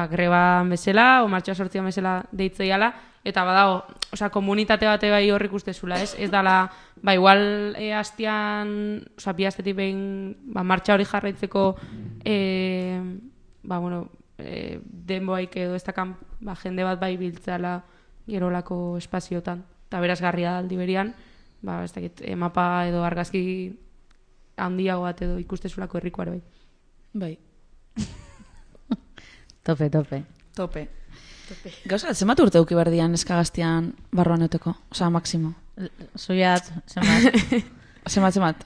greban bezala, o martxoa sortzian bezala deitzeiala, eta badago, komunitate bate bai horrik ustezula, ez dala, igual hastian, bi hastetik behin martxa hori jarraitzeko, denboaik edo ez dakan jende bat bai biltzala gerolako espaziotan. Eta berazgarria da aldi berian, ez dakit, mapa edo argazki handiago bat edo ikustezulako herrikoare bai. Bai. Tope. Gauza, zenbat urte uki berdian eskagaztian barruan euteko? Osa, maksimo. Zuiat, Zenbat?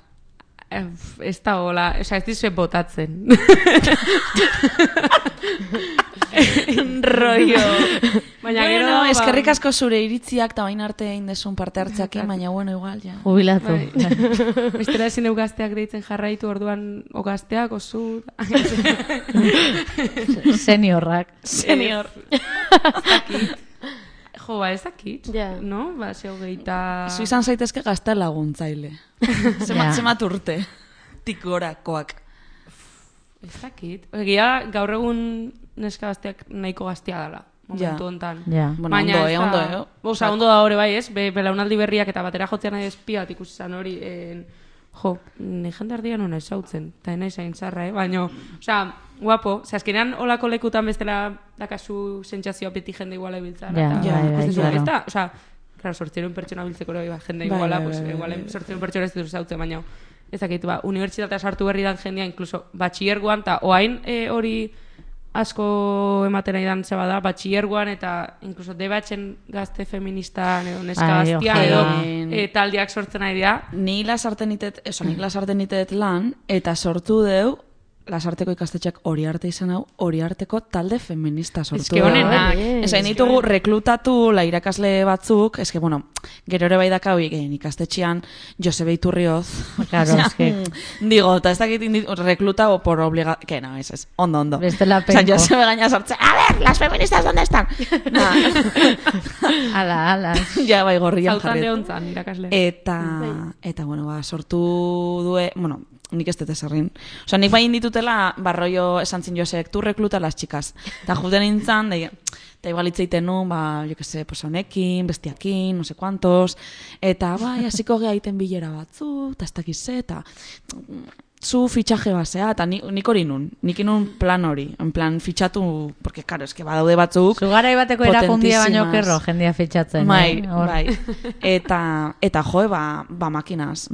Ez da hola, ez dizue botatzen. Rollo. Baina Bueno, eskerrik asko zure iritziak eta bain arte egin desun parte hartzakin, baina bueno, igual, ja. Jubilatu. Bestera ezin deu gazteak deitzen jarraitu orduan o gazteak, osu... Seniorrak. Senior. Jo, ez dakit, Ja. no? Zeu gehieta... Zu izan zaitezke gazte laguntzaile. Zemat urte. Tikorakoak. Ez dakit. Egia, gaur egun neska gazteak nahiko gaztea dela. Momentu hontan. Ja. Bueno, ondo. Osa, ondo da hori bai, ez? Belaunaldi berriak eta batera jotzean nahi espiat ikusi zan hori. Jo, ne jende ardian hona esautzen. Eta nahi zain zarra, baina, osa, guapo. Azkenean olako lekutan bestela dakazu sentsazioa beti jende iguala biltzara. Ez da, osa, claro, 800 pertsona biltzeko hori, jende iguala, igual 800 pertsona ez dut esautzen, baina ez dakit, unibertsitatea sartu berri dan jendea, incluso batxillergoan, eta oain hori asko ematen nahi dan zeba da, batxillergoan eta incluso debatzen gazte feministan edo neska gaztian edo taldiak sortzen nahi dira. Ni lasarten nitet lan, eta sortu deu, Lasarteko ikastetxeak hori arte izan hau, hori arteko talde feminista sortu. Eske honenak. Esain ditugu reklutatu irakasle batzuk, eske, bueno, gero ere bai daka hori ikastetxean Josebe Iturrioz. Claro, eske... Digo, eta ez dakit reklutado por obligación. Que no, es. Ondo. Bestela penko. O sea, Josebe gaina sortze, a ver, las feministas, ¿dónde están? Ala. Ja, bai, gorrian Zautan jarri. lehontzan, irakasle. Eta, bueno, sortu due, bueno, nik ez dut eserrin. Osa, nik bai inditutela, barroio esan zin Josek, tu rekluta las chicas. Eta juten nintzen, eta igual itzeiten nun, jo que se, pues honekin, bestiakin, no sé cuantos, eta bai, hasiko geha iten bilera batzu, eta ez dakiz, eta zu fitxaje basea, eta nik hori nun, nik inun plan hori, en plan fitxatu, porque, claro, eske badaude batzuk, Zugarai bateko erakundia baino potentísimas. kerro, jendia fitxatzen. Bai, Hor. bai. Eta joe, ba makinaz,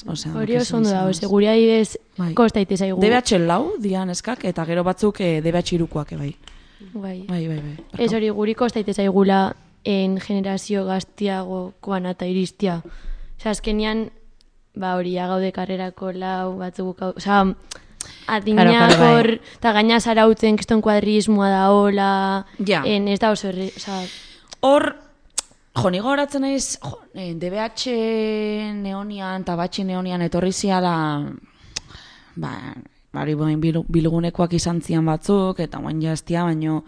osea. Hori oso ondo dago, seguria adibidez, Bai. kostaite zaigu. DBH lau dian eskak, eta gero batzuk DBH irukoak, bai. Bai. Bai. Ez hori guri kostaite zaigula en generazio gaztiagokoan eta iristia. Osa, azkenian, ba hori, gaude karrerako lau, batzuk, osa, adinak Claro, bai. hor, eta gaina zarautzen kiston kuadrismoa da hola, Ja. ez da oso herri, osa, Hor, nigo horatzen naiz, DBH neonian eta batxi neonian etorri ziala, bari bilgunekoak izan zian batzuk, eta guain jaztia, baino,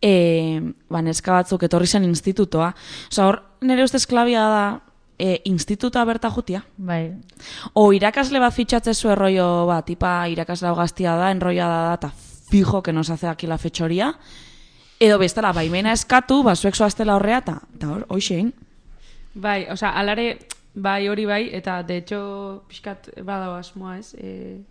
neska batzuk etorri zen institutoa. Osa, hor, nire ustez klabia da, instituta berta jutia. Bai. O irakasle bat fitxatzezu erroio bat, tipa irakasle hau gaztia da, enroia da, eta fijo que nos hace aquí la fechoria, edo bestela, baimena eskatu, zuek zoaztela horrea, eta hor, hoxein. Bai, osea, alare, bai hori bai, eta de hecho, pixkat badago asmoa ez,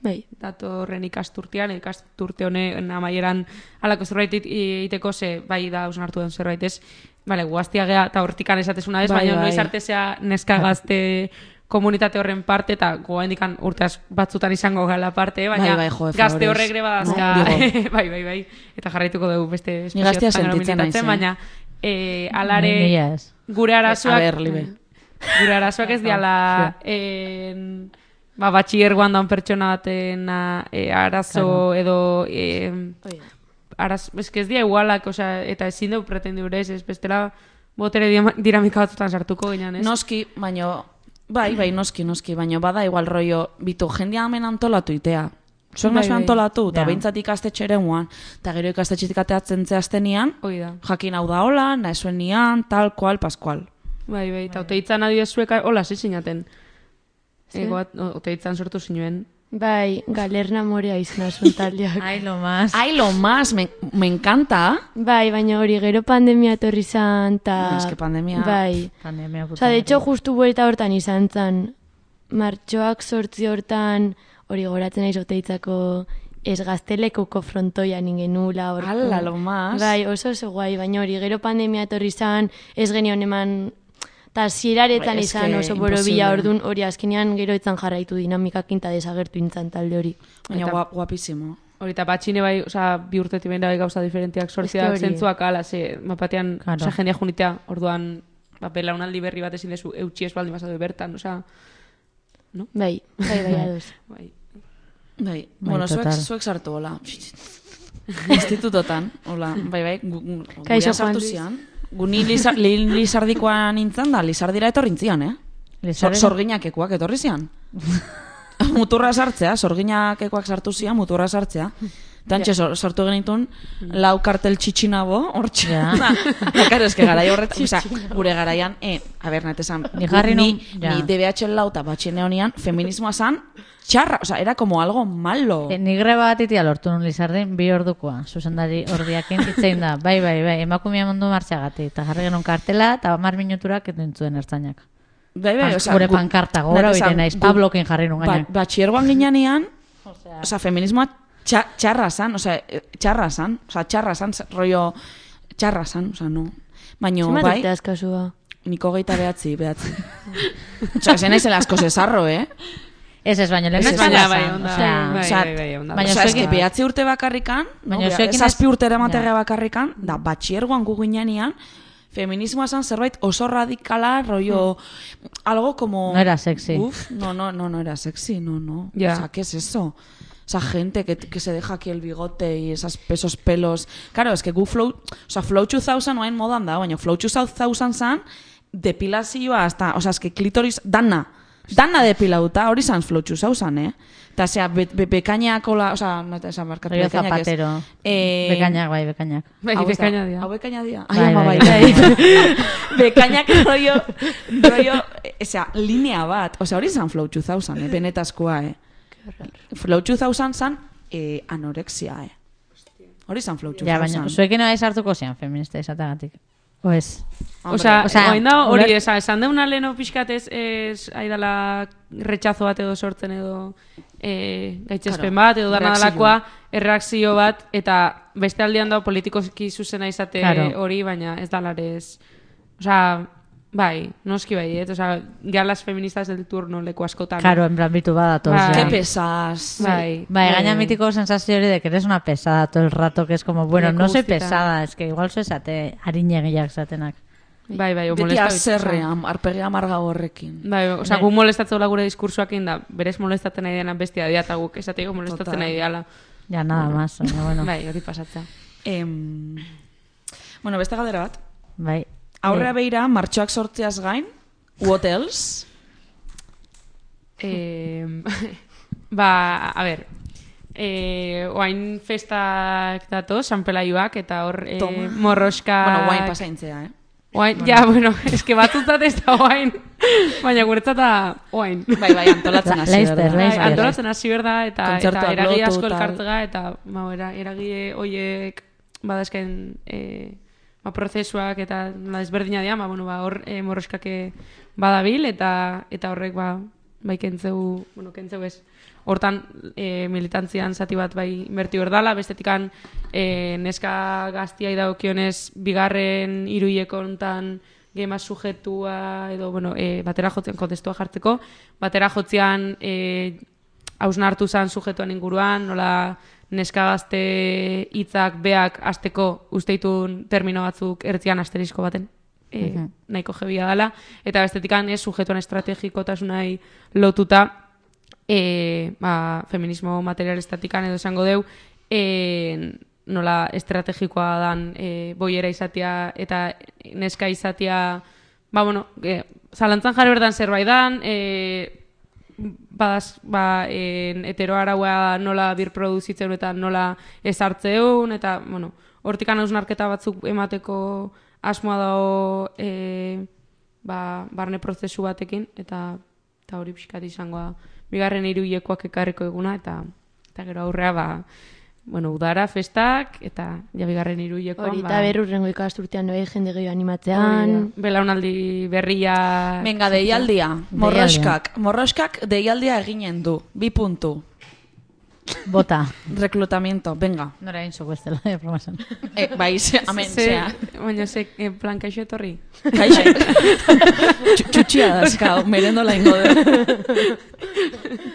bai. datorren ikasturte honen amaieran alako zerbait iteko ze, bai da hausnartu den zerbait ez, bale, guaztia gea, eta hortikan esatezuna ez, Bai, baina bai. noiz artezea neska gazte komunitate horren parte, eta goendikan urteaz batzutan izango gala parte, baina Bai, jo, gazte favorez. horrek ere badazka, No, bai, eta jarraituko dugu beste Ni gaztea espezio sentitzen naiz, baina alare Nila ez. gure arazoak, A ber, Libe. gure arazoak ez diala batxillergoan daun pertsona baten arazo edo ez dia igualak, osea, eta ezin dugu pretendurez, ez bestela botere dinamika batzutan sartuko ginen, ez? Noski, baino, bai, noski, baino bada igual rollo, bitu, jendia hemen antolatu itea. Zuek Bai, nazu bai. antolatu, eta Ja. behintzat ikastetxere muan, eta gero ikastetxetik ateatzen zehazten nian, Hoi da. jakin hau da hola, nahizuen nian, tal, kual, paskual. Bai, eta oteitzan adiozuek, hola, zinaten. Oteitzan sortu zinuen. Bai, galerna morea izan asun taldeak. Ai, lo más. Ai, lo más, me encanta. Bai, baina hori gero pandemia etorri zan, ta... Es que pandemia- Bai. Pandemia puta. Osa, de hecho, justu buelta hortan izan zan. Martxoak 8 hortan, hori goratzen naiz Oteitzako ez gaztelekuko frontoian ingenula. Horko. Ala, lo más. Bai, oso guai, baina hori gero pandemia etorri zan, ez genion eman... Ta zieraretan Bai, es izan que oso borobila imposible. ordun hori azkenean gero etzan jarraitu dinamikakin ta desagertu intzan talde hori. Baina Eta- guapísimo. Hori eta batxine bai, osea, bi urtetik behin bai gauza diferentiak sortziak, Ez que hori. zentzuak ala, ze, mapatean, Claro. osea, jendia junitea, orduan, belaunaldi berri bat ezin dezu, eutxi ez baldin bazaude bertan, osea, Bai, ados. bai. Bai, bueno, total. zuek sartu, hola. Institutotan, hola, bai, Kaixo, gurean sartu Juan Luis. zian. Guni Lizardikoa nintzen da, Lizardira etorrintzian, Lizardi- Sorginakekoak etorri zian. Muturra sartzea, sorginakekoak sartu zian, muturra sartzea. Tantxe sortu genitun, lau kartel txitxinabo, hortxe. Ja. Karo, eske garai horretan, oza, gure garaian, a ber, natesan, Ni jarri nun, ja. ni DBH lau eta batxine honian, feminismoa zan, txarra, oza, era como algo malo. Ni greba bat itia lortu nun Lizardin bi ordukoa, zuzendari ordiakin itzein da. Bai, emakumea mundu martxagati. Eta jarri genuen kartela, eta 10 minuturak etentzuen ertzainak. Bai, oza, Gure pankarta gora oiten naiz, Pablokin jarri nun gaina. Batxiergoan ginean, oza, feminismoa txarra zan, oza, txarra zan, rollo, txarra zan, oza, no. Baina, Zenbat bai, urte askasua? niko geita behatzi. Oza, zen naizela asko zesarro, Ez, baina lehen Ez, ez baina, bai, onda. Bai, onda. Baina Oza, zuekin- eske behatzi urte bakarrikan, no? Baina zuekin ez- Zazpi urte eramaterra Ja. bakarrikan, da batxiergoan gu ginean, feminismoa zan zerbait oso radikala, rollo, algo como... No era sexy. Uf, no era sexy, no. Ya. O sea, ¿qué es eso? Esa gente que se deja aquí el bigote y esos pelos... Claro, es que gu Flow 2000 noain modan da, baina Flow 2000 zan, depilazioa hasta... O sea, es que klitoris... Dana depilauta, hori zan Flow 2000, Eta, zera, bekainak, o sea, no te esan markatu Rollo bekainak ez. zapatero. Bekainak, bai, bekainak. Bai, Hau ez da- bekaina dira. Hau bekaina dira. Bai, Ai, ama, bai, bai. Bekainak rollo, osea, linea bat. Osea, hori zan Flow 2000, benetazkoa, Flow 2000 zan anorexia, Hori zan Flow 2000. Ja, baina zuekin nahi sartuko zian feminista izatagatik. Oez. Osea, orain da hori uler- esan deuna leno pixkat ez aidala retxazo bat edo sortzen edo gaitzespen bat edo dana dalakoa erreakzio bat eta beste aldean dago politikoski zuzena izate hori, baina ez dalarez. Osea, bai, noski bai, osea, ya las feministas del turno leku askotan. Claro, en plan bitu badatoz. Bai. Qué pesas. Bai. Gaina mítico sensación de que eres una pesada todo el rato, que es como, bueno, no soy pesada, es que igual soy esate harinegiak zatenak. Bai, o Beti molesta. azerrean, arpegi amarga horrekin. Bai, osea, gu molestatzen gure diskursoakin da, berez molestatzen nahi dena bestia dira, eta guk esateko molestatzen nahi diala. Ya nada más, bueno. Bai, hori pasatza. Bueno, beste galdera bat. Bai. Aurrea beira, martxoak sortzeaz gain, what else? Ba, a ber, oain festak dato, San Pelaioak, eta hor morroskak... Bueno, guain pasaintzea, Oain, bueno. Ja, bueno, eske batzutat ez da oain, baina guretzat da oain. Bai, antolatzen hasi berda. Antolatzen hasi berda, eta eragi asko lotu, elkartzega, eta eragi hoiek badazken prozesuak eta ezberdina dira, hor morroskake badabil, eta horrek kentzeu ez. Hortan militantzian zati bat bai inberti berdala, bestetikan neska gaztiai daukionez bigarren hiruileko hontan gema sujetua edo batera jotzean kontestua jartzeko, batera jotzean hausnartu zan sujetuan inguruan, nola neska gazte hitzak beak hasteko usteitun termino batzuk ertzian asterisko baten. Nahiko jebia dela, eta bestetikan sujetuan estrategikotasunai lotuta feminismo materialistatikan edo esango deu nola estrategikoa dan boiera izatea eta neska izatea zalantzan jarri berdan zerbait dan heteroaraua nola birproduzitzen eta nola ezartzeun eta hortikan hausnarketa batzuk emateko asmoa dago barne prozesu batekin eta hori pixkat izangoa bigarren hiruilekoak ekarriko eguna eta gero aurrea udara, festak eta bigarren hiruilekoan hori eta berrurrengo ikasturtean jende gehiago animatzean belaunaldi berria venga, deialdia morroskak deialdia eginen du 2 puntu bota reclutamiento, venga nora egin zoko ez dela promasan bai, amen baina plan kaixo etorri txutxia dazkau merendola ingo de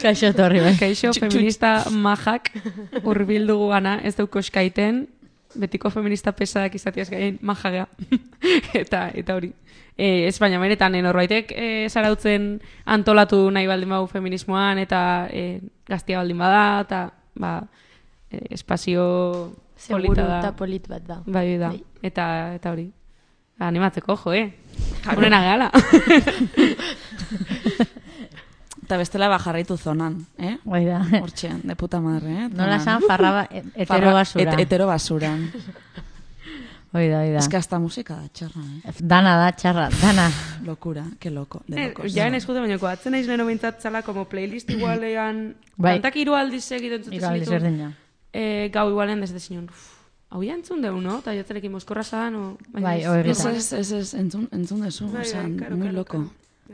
kaixo etorri bai kaixo feminista majak urbildugu gana ez dauko eskaiten betiko feminista pesadak izatiaz gaien majagea eta hori Espainia meretan norbaitek zarautzen antolatu nahi baldin bau feminismoan eta gaztia baldin bada eta espazio polita da. eta polit bat da. Bai da. Eta hori. Animatzeko, Urena gehala. Eta bestela jarraitu zonan, Bai da. Hortxean, de puta madre, Nola esan farraba hetero basura. Hetero basuran. Oida. Es que hasta musika da txarra, Dana da txarra, dana. Locura, que loco. Jaen eskute bainako, atzen naiz leno bintzat zala como playlist igualean, kantak 3 aldiz egiten zuten zenitu. Gau igualean desde zinon. Hau ya entzun deu, no? Eta jatzerekin mozkorra zan, Bai, oegita. Ez, entzun dezu, muy loco.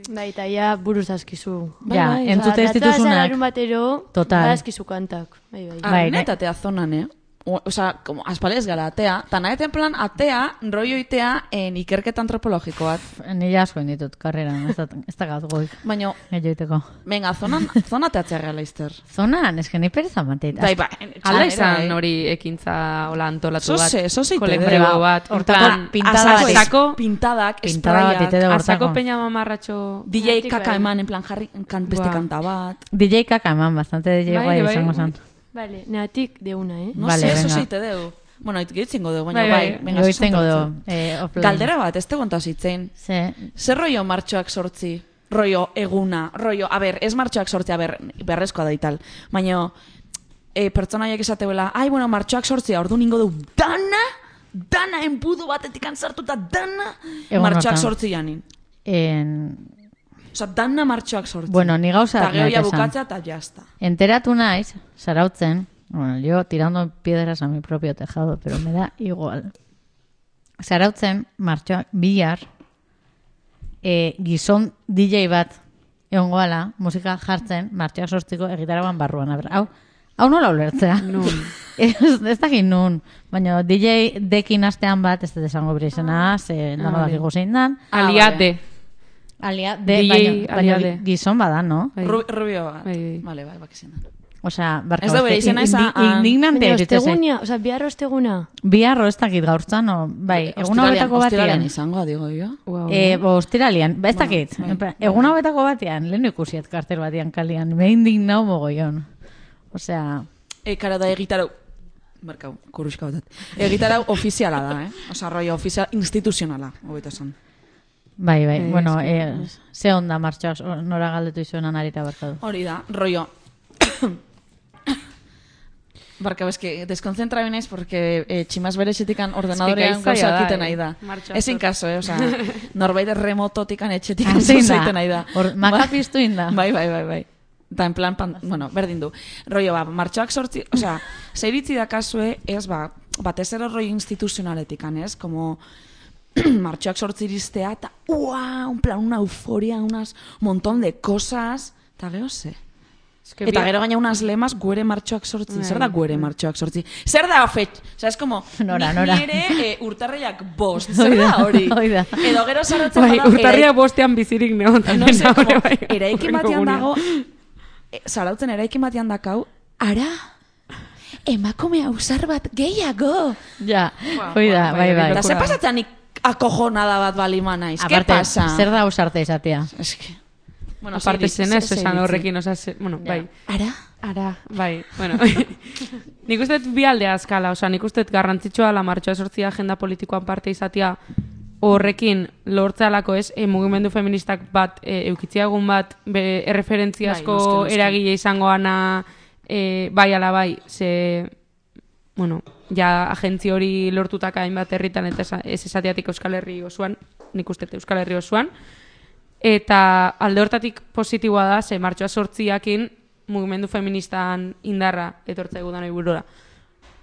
Bai, eta ja buruz dazkizu. Ja, entzute ez dituzunak. Data larun batero, dazkizu kantak. Bai, netatea zonan, Osa, como aspalez gara atea, eta naheten plan atea, rollo itea ikerketa antropologiko bat. Nila asko inditut, karreran, ez da gaut goik. Baina, venga, zona teatzea reala izter. Zonan, eske ni pereza mateit. Bai, ala izan hori ekintza hola antolatu bat. Sose, kolektibo bat. Hortan, pintadak, spraiak. Azako peña mamarratxo. DJ kaka eman, en plan jarri beste kanta bat. DJ kaka eman, bastante DJ guai izango zan. Vale, neatik de una, No sé, eso seite deu. Bueno, gitzingo deu, baina bai. Gitzingo deu. Galdera bat, ez te kontazitzen. Zer rollo martxoak sortzi? Rollo eguna, rollo, a ber, ez martxoak sortzi, a ber, berrezkoa da ital. Baina, pertsonaiek esateuela, bueno, martxoak sortzi, ordu ningo deu, dana enbudu batetik antzartuta, dana martxoak sortzi janin. Osa, dana martxoak sortzi. Bueno, ni gauza eta gehoia bukatzea eta jazta. Enteratu naiz, zarautzen, bueno, yo tirando piedras a mi propio tejado, pero me da igual. zarautzen martxoak bihar gizon DJ bat egongo ala, musika jartzen martxoak 8ko egitaragoan barruan. Aber, hau nola ulertzea? Nun. ez dakit nun, baina DJ dekin astean bat, ez dut esango bere izena, ze dano dakigu zein dan. Aliade. Aliade, DJ baina aliade. gizon bada, no? Bai. Rubio bat. Bai. Vale, bakizien da. Osea, barka Ez da bere izena indignante Baina iruditzen zait. ostegunia, oza, bihar osteguna. Biharro ez dakit gaurtzan, no? Bai, egun hauetako Ostiralean batean. izango, digo jo. Wow. Ostiralian, ez dakit. bai. Egun hauetako batean, lehen ikusiet kartel batean kalian. Me indignau mogollon. Osea, Kara da egitarau. Barkau, kuruska batat. Egitarau ofiziala da, Osa, rollo ofizial instituzionala, hobeto esan. bai, bueno, ze onda martxoak nora galdetu izuenan arita barkadu. Hori da, rollo. Barkau, eske, deskonzentra binaiz, porque tximaz bere etxetikan ordenadorean gaitzaia gauza da, egiten nahi da. Martxoak Ezin kaso, Osa, norbait remototikan etxetikan Zein gauza da? egiten nahi da. Maka piztu inda. Bai. Eta en plan, bueno, berdin du. Rollo, martxoak 8, osea, zeiritzi da kasue, ez, batez ero rollo instituzionaletikan, ez? Como martxoak 8 iristea, eta un plan, una euforia, un montón de cosas, eta gero ze. Eta gero gaina unas lemas guere martxoak 8. Zer da guere martxoak 8? Zer da ofet? Osea, es como Nora. nire urtarriak 5. Zer da hori? Hoi da. Edo gero zaratzen Bai, urtarria bostean bizirik neon. no sé, como, bai. eraikin batean dago, zarautzen eraikin batean dakau, ara, emakume ausar bat gehiago. Ja, hoi da, bai. Eta ze pasatzen akojonada bat balima naiz? ¿Qué Aparte, pasa? zer da ausarte izatea? Es que... Bueno, Aparte zenez, ze esan iritzi. horrekin, bueno, bai. Ara? Bai, bueno. Nik uste dut bi aldea azkala, nik uste dut garrantzitsua la martxoa 8 agenda politikoan parte izatea horrekin lortzealako ez, mugimendu feministak bat, eukitziagun bat, erreferentziazko Bai, noski. eragile izangoana, bai ala bai, ze, bueno, ja agentzi hori lortutaka hainbat herritan eta ez esateatik Euskal Herri osoan, nik uste dut Euskal Herri osoan, eta alde hortatik positiboa da, ze martxoa 8akin mugimendu feministan indarra etortza egudan oiburora.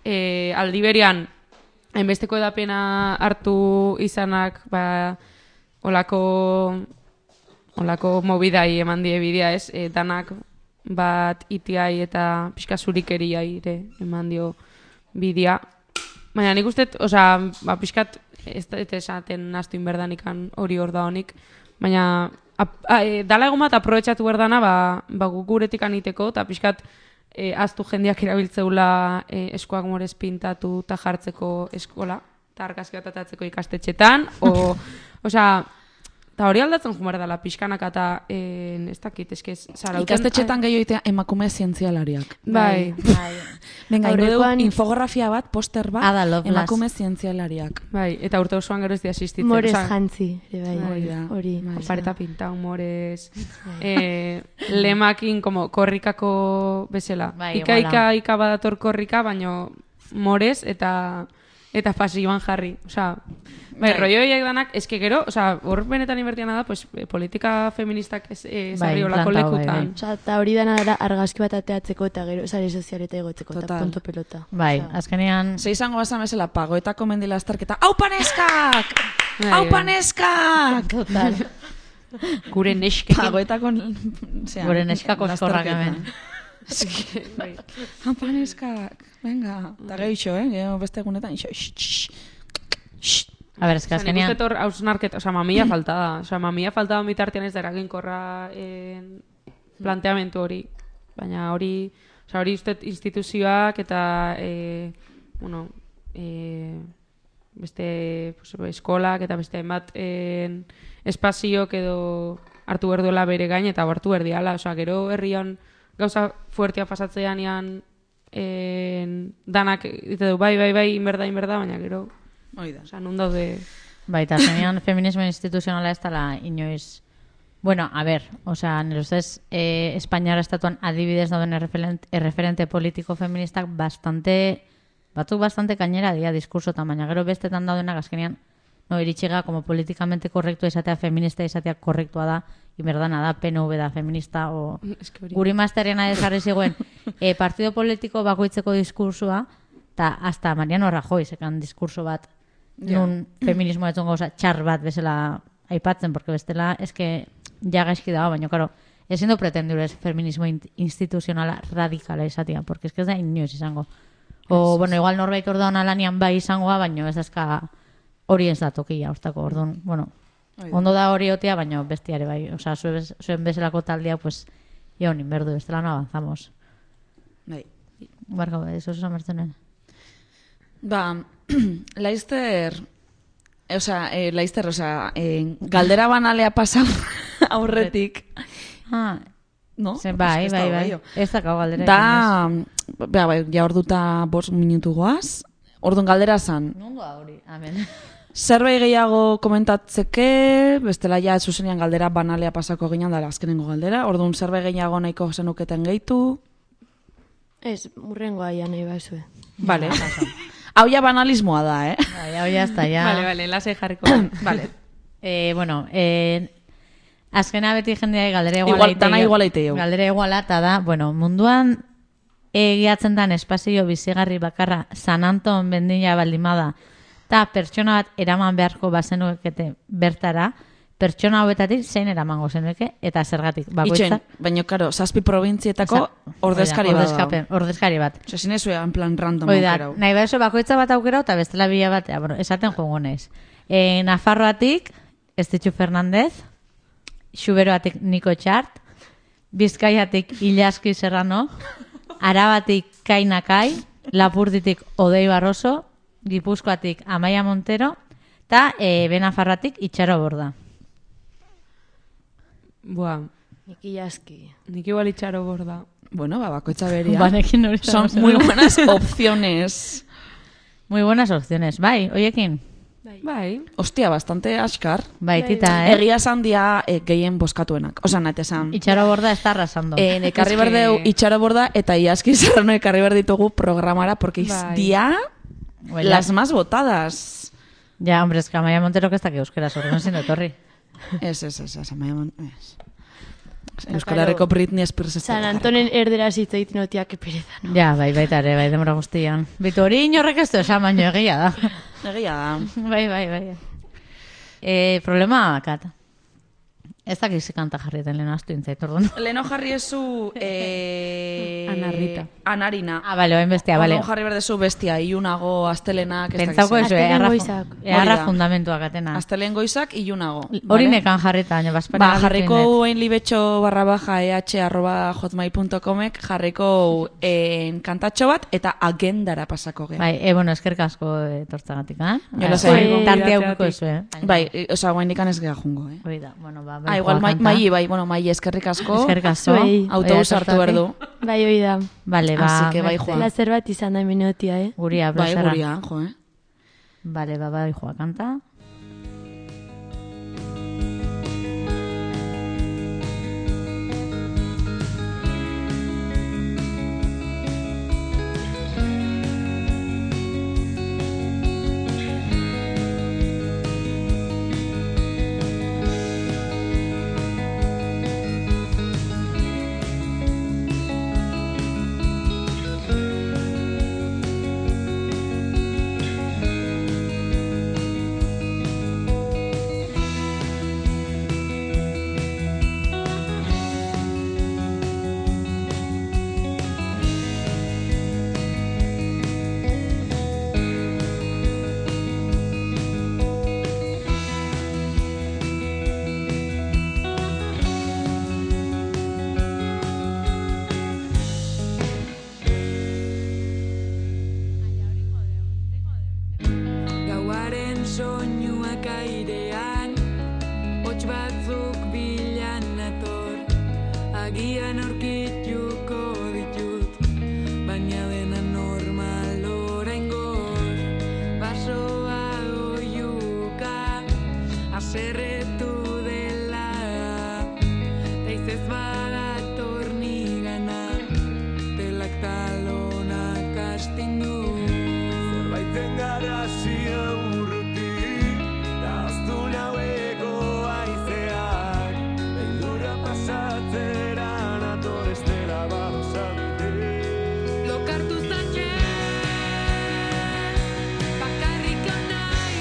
Aldi berian, hainbesteko edapena hartu izanak, olako mobidai eman die bidea ez, danak bat itiai eta pixka zurikeriai ere eman dio bidea. Baina nik uste, pixkat, ez esaten naztu inberdanikan hori hor da honik, baina dala egon bat aprobetxatu berdana guk guretik aniteko, eta pixkat aztu jendeak erabiltzeula eskuak morez pintatu eta jartzeko eskola, eta argazki bat atatzeko ikastetxetan, eta hori aldatzen jumar dela pixkanaka eta ez dakit, eske zarauten... Ikastetxetan gehioitea emakume zientzialariak. Bai. Venga, Aurrekoan- ingo infografia bat, poster bat, Ada Lovelace. emakume zientzialariak. Bai, eta urte osoan gero ez di asistitzen. Morez osea, jantzi, ere bai. Hori da. Hori. Pareta pinta, humorez, lemakin, como, korrikako bezala. Bai, Ika badator korrika, baino morez eta pasioan jarri. Osea, bai, rollo horiek danak, eske gero, hor benetan inbertiana da, pues, politika feministak zarri olako plantau, lekutan. Osa, eta hori dana dara argazki bat ateatzeko eta gero sare sozialeta egotzeko, eta Total. punto pelota. Bai, Osea, azkenean... Ze izango bazan bezala, pagoetako mendila azterketa, hau paneskak! Bai, Hau bai. paneskak! Total. Gure neskekin. Pagoetako... Gure neskako eskorrak hemen. Bai. Hau paneskak! Venga. Eta gehitxo, gero beste egunetan, A ber, eske Nik azkenean... uste hor hausnarketa, mamia falta da. Mamia falta da bitartean ez da eraginkorra planteamentu hori. Baina hori uste instituzioak eta beste eskolak eta beste hainbat espaziok edo hartu behar duela bere gain eta hartu behar diala. Gero herrian gauza fuertea pasatzean danak dite du, bai, inberda, baina gero... Hori da. nun daude... Bai, eta azkenean feminismo instituzionala ez dela inoiz... Bueno, a ver, nire ustez, Espainiara estatuan adibidez dauden erreferente politiko feministak batzuk bastante kainera dira diskursotan, baina gero bestetan daudenak azkenean, iritxiga, como politikamente korrektua izatea, feminista izatea korrektua da, inberdana da, PNV da, feminista, guri masterena desarri ziguen, partido politiko bakoitzeko diskursua, eta hasta Mariano Rajoy sekan diskurso bat, nun feminismoa etzun gauza txar bat bezala aipatzen, porque bestela, eske ja gaizki dago, baina, karo, ezin du pretendurez feminismo instituzionala radikala izatea, porque eske ez da inoiz izango. O, bueno, igual norbait orduan alanian bai izangoa, baina ez dazka hori ez da tokia, ostako, orduan, bueno, ondo da hori otea, baina bestiare bai, osea, zuen bezalako taldea, pues, honin berdu, bestela no avanzamos. Bai. Barka, eso es amertzenen. Ba, galdera banalea pasau aurretik. No? Bai. Ez dakau galdera. Ja orduta 5 minutu goaz. Orduan galdera zan. Nondo da hori, amen. Zerbait gehiago komentatzeke, bestela ja zuzenean galdera banalea pasako ginen da azkenengo galdera. Orduan zerbait gehiago nahiko zenuketen gehitu. Ez, murrengoa ja nahi bazue. Vale. Hau ja banalismoa da, Hau ja ez da, ja. Vale, lasai jarriko. Vale. Bueno, azkena beti jendea galdera iguala iteo. Galdera iguala, eta da, bueno, munduan egiatzen dan espazio bizigarri bakarra San Anton bendina baldimada, eta pertsona bat eraman beharko bazenukete bertara, pertsona hauetatik zein eramango zenuke, eta zergatik. Itxen, baina, karo, 7 probintzietako ordezkari bat. Ordezkari bat. Osa, zinezue, en plan random aukerau. Nahi behaso, bakoitza bat aukerau, eta bestela bila bat, bueno, esaten joango naiz. Nafarroatik, Estitxu Fernandez, Xuberoatik Niko Txart, Bizkaiatik Ilaski Serrano, Arabatik Kainakai, Lapurditik Odei Barroso, Gipuzkoatik Amaia Montero, eta Benafarroatik Itxaro Borda. Buah. Niki Jaski. Nik igual Itxaro Borda. Bueno, bakoitza beria. Banekin hori son muy buenas opciones. Muy buenas opciones. Bai, oiekin. Bai. Hostia, bastante askar. Bai, tita, Egia esan dia gehien boskatuenak. Osa, nate esan. Itxaro Borda está arrasando. Ekarri berdeu Itxaro Borda eta Iaski Serrano ekarri berditugu programara, porque dia las más votadas. Ja, hombre, es que Amaia Montero que está que euskeraz, orduan sin etorri. Ez, Amaia Montero. Euskal Herriko Britney Spears. San Antonen erderaz hitz egiten otia, que pereza, no? Ja, baita ere, bai, demora guztian. Bitu hori inorrek ez du esan, baino egia da. Egia da. Bai. Problema kat. Ez dakiz kanta jarrieten leheno astu intzait, orduan. Leheno jarri ezu... Anarrita. Anarina. Bale, oain bestia, bale. Orduan jarri berdezu bestia, iunago, astelenak... Pentsauko ezu, eharra fundamentuak atena. Astelen goizak, iunago. Hori nekan jarrita, baina baspara... Jarriko en libetxo_eh@hotmail.comek jarriko kantatxo bat eta agendara pasako geha. Bai, bueno, eskerrik asko tortzagatik, Tartea ukiko ezu, Bai, oza, guain dikan ez geha jungo, Hoi da, bueno, ba... igual, mai eskerrik asko. Eskerrik asko. Autobus hartu berdu. Bai, hoi da. Bale, ba... Así que bai, joa. Plazer bat izan da minutia, Guria, Bai, plazera. guria, jo, Bale, ba, bai, joa, kanta. Soinuak airean, hots batzuk bilan nator, agian aurkituko ditut, baina dena normal oraingoz, basoa oiuka, aserretu dela, taizez badator nigana, telak talonak astindu, zerbaiten garazia lokartu zaien, bakarrik nahi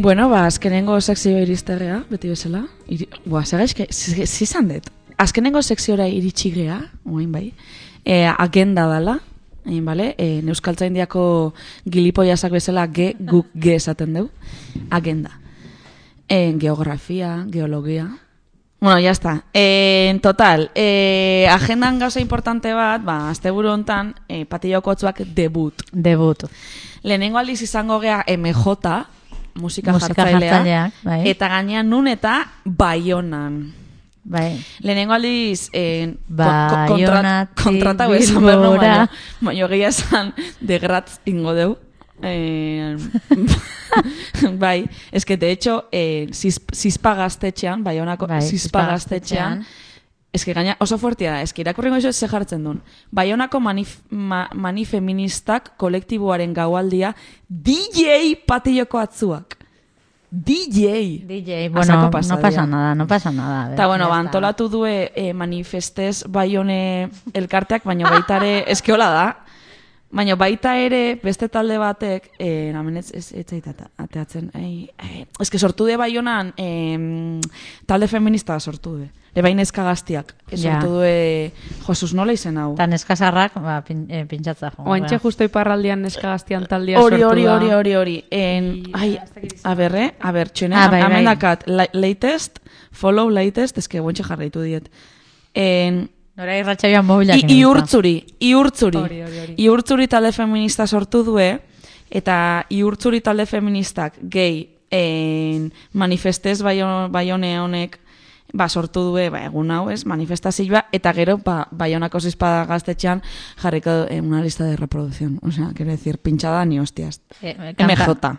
Bueno, azkenengo sekzio iristegea, beti bezala. Zizan dut. Azkenengo sekziora iritsi gea, oain bai, agenda dala, bale? Euskaltzaindiako gilipoiasak bezala guk ge esaten dugu. Agenda. Geografia, geologia. Bueno, ya está. En total, agendan gauza importante bat, asteburu hontan, Patillokotzuak debut. Lehenengo aldiz izango gea MJ, musika jartzailea, bai. eta gainean nun eta Baionan. Bai. Lehenengo aldiz Baionatik kontratau esan berno, baina gehiago esan de Gratz ingo deu. Bai, es que de hecho Zizpa gaztetxean, Baionako Zizpa gaztetxean, es que gaina oso fuertea da, es que irakurrengo iso ze jartzen duen. Baionako manifeministak kolektiboaren gaualdia DJ Patilloko atzuak. DJ, bueno, no pasa nada. Eta, bueno, antolatu due manifestez Baione elkarteak, baina baita ere, eske hola da, baina baita ere beste talde batek, namen ez ateatzen, eske sortu de Baionan talde feminista sortu de. Ebain neska gaztiak, sortu due Josus nola izen hau. Eta neska sarrak, pintxatza jo. Oantxe justo iparraldian neska gaztian taldea sortu da. Hori. A ber, txene, amendakat, latest, follow latest, eske guantxe jarraitu diet. Nora irratxaioan mobilak. Iurtzuri talde feminista sortu due, eta iurtzuri talde feministak gehi manifestez Baione honek sortu due, egun hau ez, manifestazioa, eta gero, Baionako Zizpa gaztetxean jarriko una lista de reproducción. O sea, quiero decir, pinchada ni hostias. MJ.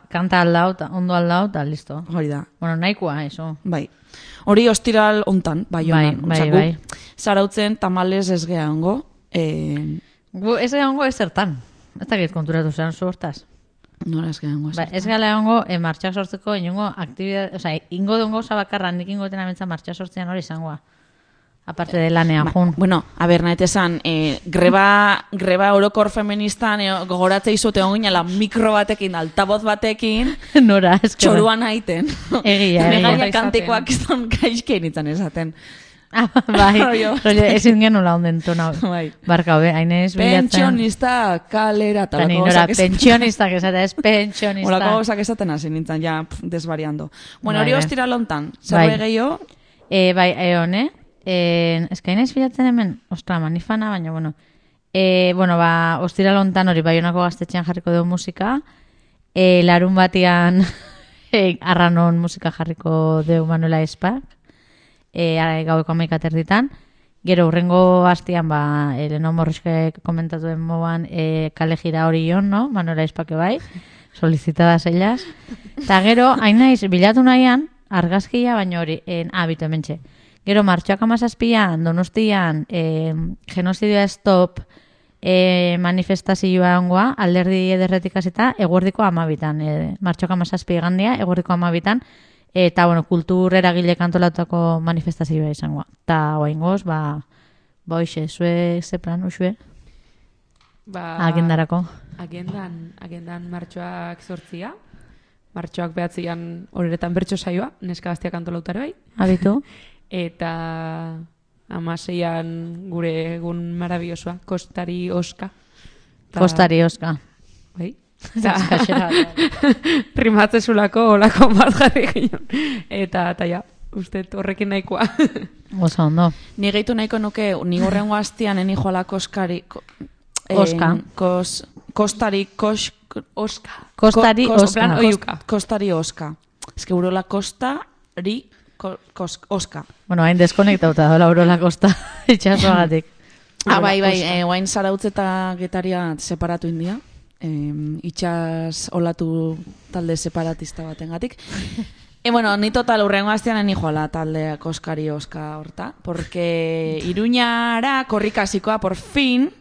Kanta aldau, ondo aldau, eta listo. Hori da. Bueno, nahikoa, eso. Bai. Hori ostiral ontan, Baionan. Bai. Zarautzen tamales ez geha ongo. Gu ez geha ongo ez zertan. Ez dakit konturatu zen zu hortaz. Nola ez geha ongo ez zertan. Ez geha ongo martxak sortzeko ingo aktibidad, oza, ingo duen gauza bakarra nik ingoten amentza martxak sortzean hori izangoa. Aparte de lanean jun. Bueno, a ber, nahet esan, greba orokor feministan gogoratze izute onginala mikro batekin, altaboz batekin, Nora, ez txoruan haiten. Egia. Negaia kantekoak izan gaizkien itzan esaten. Bai, ezin genula onden tona. Barka, hainez bilatzen. Pentsionista kalera. Nora, pentsionistak esate, ez pentsionista. Olako gauzak esaten hasi nintzen, ja, desvariando. Bueno, hori ostira lontan, zer gehiago? Bai, hone. Ez kainez bilatzen hemen, ostra, manifana, baina, bueno. Ostira lontan hori Baionako gaztetxean jarriko dugu musika. Larun batian arranon musika jarriko dugu Manuela Espak. Gaueko 11:00 Gero urrengo hastian, Eleno Morriskek komentatu den moan, kale jira hori jon, no? Manuela Espake bai, solicitadas ellas. Eta gero, hain naiz, bilatu nahian, argazkia, baina hori, bitu hementxe. Gero, martxoak 17an, Donostian, genozidioa stop manifestazioa ongoa, alderdi ederretik hasita, eguerdiko 12an. Martxoak 17 gandia, eguerdiko 12an, eta, bueno, kultur eragile kantolatako manifestazioa izangoa. Eta, oaingoz, hoxe, zue, ze plan, usue? Agendarako. Agendan martxoak 8, martxoak 9 horeretan bertso saioa, neska gaztiak antolautara bai. Abitu. Eta 16an gure egun marabiosoa, Kostari Oska. Kostari Oska. Bai. Rimatzezulako olako bat jarri ginen. Eta ja, uste horrekin nahikoa. Osa ondo. Ni gehitu nahiko nuke, ni horrengo hastian eni joala Koskari... Oska. Kostari Oska. Kostari Oska. Kostari Oska. Ez que urola Kostari Oska. Bueno, hain deskonektauta dola urola Kosta itxasoagatik. Bai, guain Zarautz eta Getaria separatu india. Itxas olatu talde separatista batengatik. Bueno, ni total urrengo hastian eni joala talde Koskari Oska horta, porque Iruñara korrikasikoa, por fin,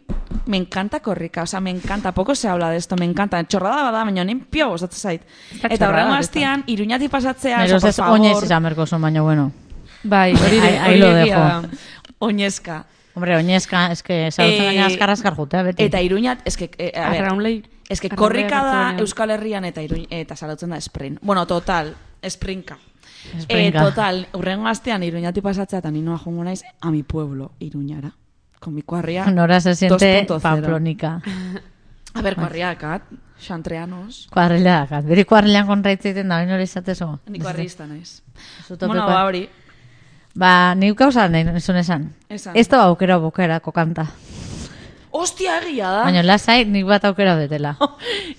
me encanta korrika, o sea, me encanta, poco se habla de esto, me encanta, txorrada bada, baina nin pio gozatzen zait. Eta urrengo hastian, Iruñatik pasatzea, por favor. Oinez izan berko zon, baina bueno. Bai, hori lo dejo. Oinezka. Hombre, oinezka, eske, zautzen gaina azkar jutea, beti. Eta Iruñat, eske, a ver, Arraunlei. eske korrika da Euskal Herrian eta salautzen da sprint. Bueno, total, sprinka. Total, urrengo astean Iruñati pasatzea eta ninoa jongo naiz a mi pueblo, Iruñara. Con mi cuarria Nora se siente 2.0. Pamplónica. A ver, cuarriakat, xantreanos. Kuarrilakat. Beri kuarrilan kontraitzeiten da, baina hori izatezo. Ni kuarrista naiz. Bueno, Ba, hori. Ba, nik gauza nahi nizun esan. Ez da aukera bukerako kanta. Ostia, egia da. Baina lasai nik bat aukera betela.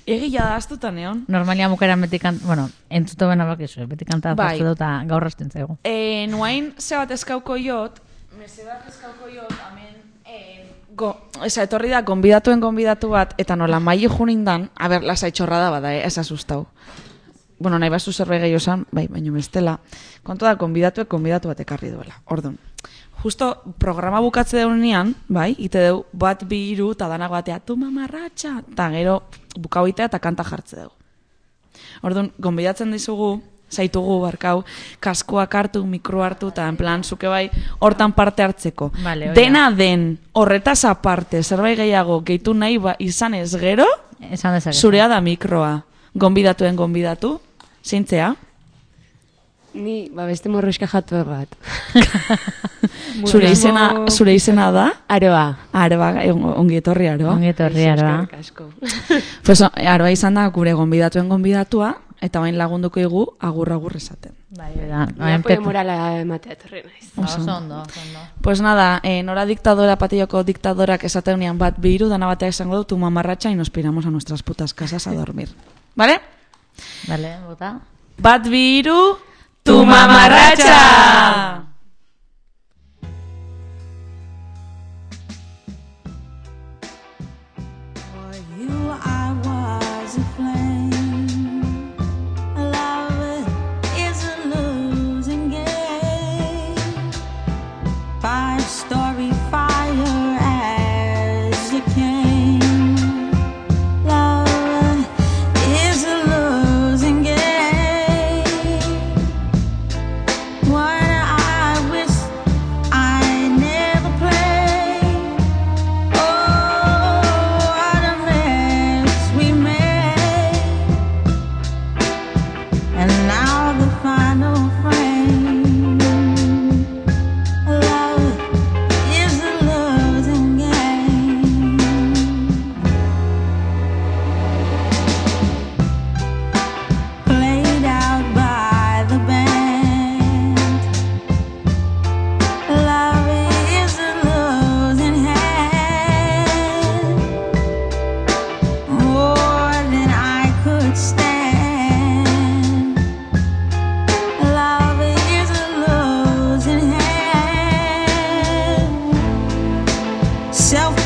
Egia da, astutan egon. Normalia bukeran beti kanta, bueno, entzuto bena bakizu, beti kanta Bai. pastu dut eta gaur hasten zaigu. Nuain zebat eskauko jot, amen, etorri da, gonbidatu bat, eta nola maili junindan, a ber, lasai txorrada bada, ez asustau. Bueno, nahi bazu zerbait gehiago esan, bai, baina bestela. Kontu da, gonbidatu bat ekarri duela. Orduan, justo programa bukatze deunean, bai, ite deu, bat bi hiru, eta danak batea, tu mamarratxa, eta gero bukau itea eta kanta jartze dugu. Orduan, gonbidatzen dizugu, zaitugu, barkau, kaskoak hartu, mikro hartu, eta en plan, zuke bai, hortan parte hartzeko. Vale, dena den, horretaz aparte, zerbait gehiago, gehitu nahi izan ez gero, Esan dezakezu. zurea da mikroa. Gonbidatu, zeintzea? Ni, beste morroska jatu bat. Zure izena da? Aroa. Aroa, ongi etorri Aroa. Ongi etorri, Aroa. Pues Aroa izan da gure gonbidatua, eta bain lagunduko igu agur esaten. Bai, da. Apoio morala ematea etorri naiz. Oso ondo. Pues nada, nora diktadora, Patilloko diktadorak esateunean bat biru, dana batea esango du, tu mamarratxa, y nos piramos a nuestras putas casas a dormir. ¿Vale? Vale, bota. Bat biru, tu mamarratxa! Self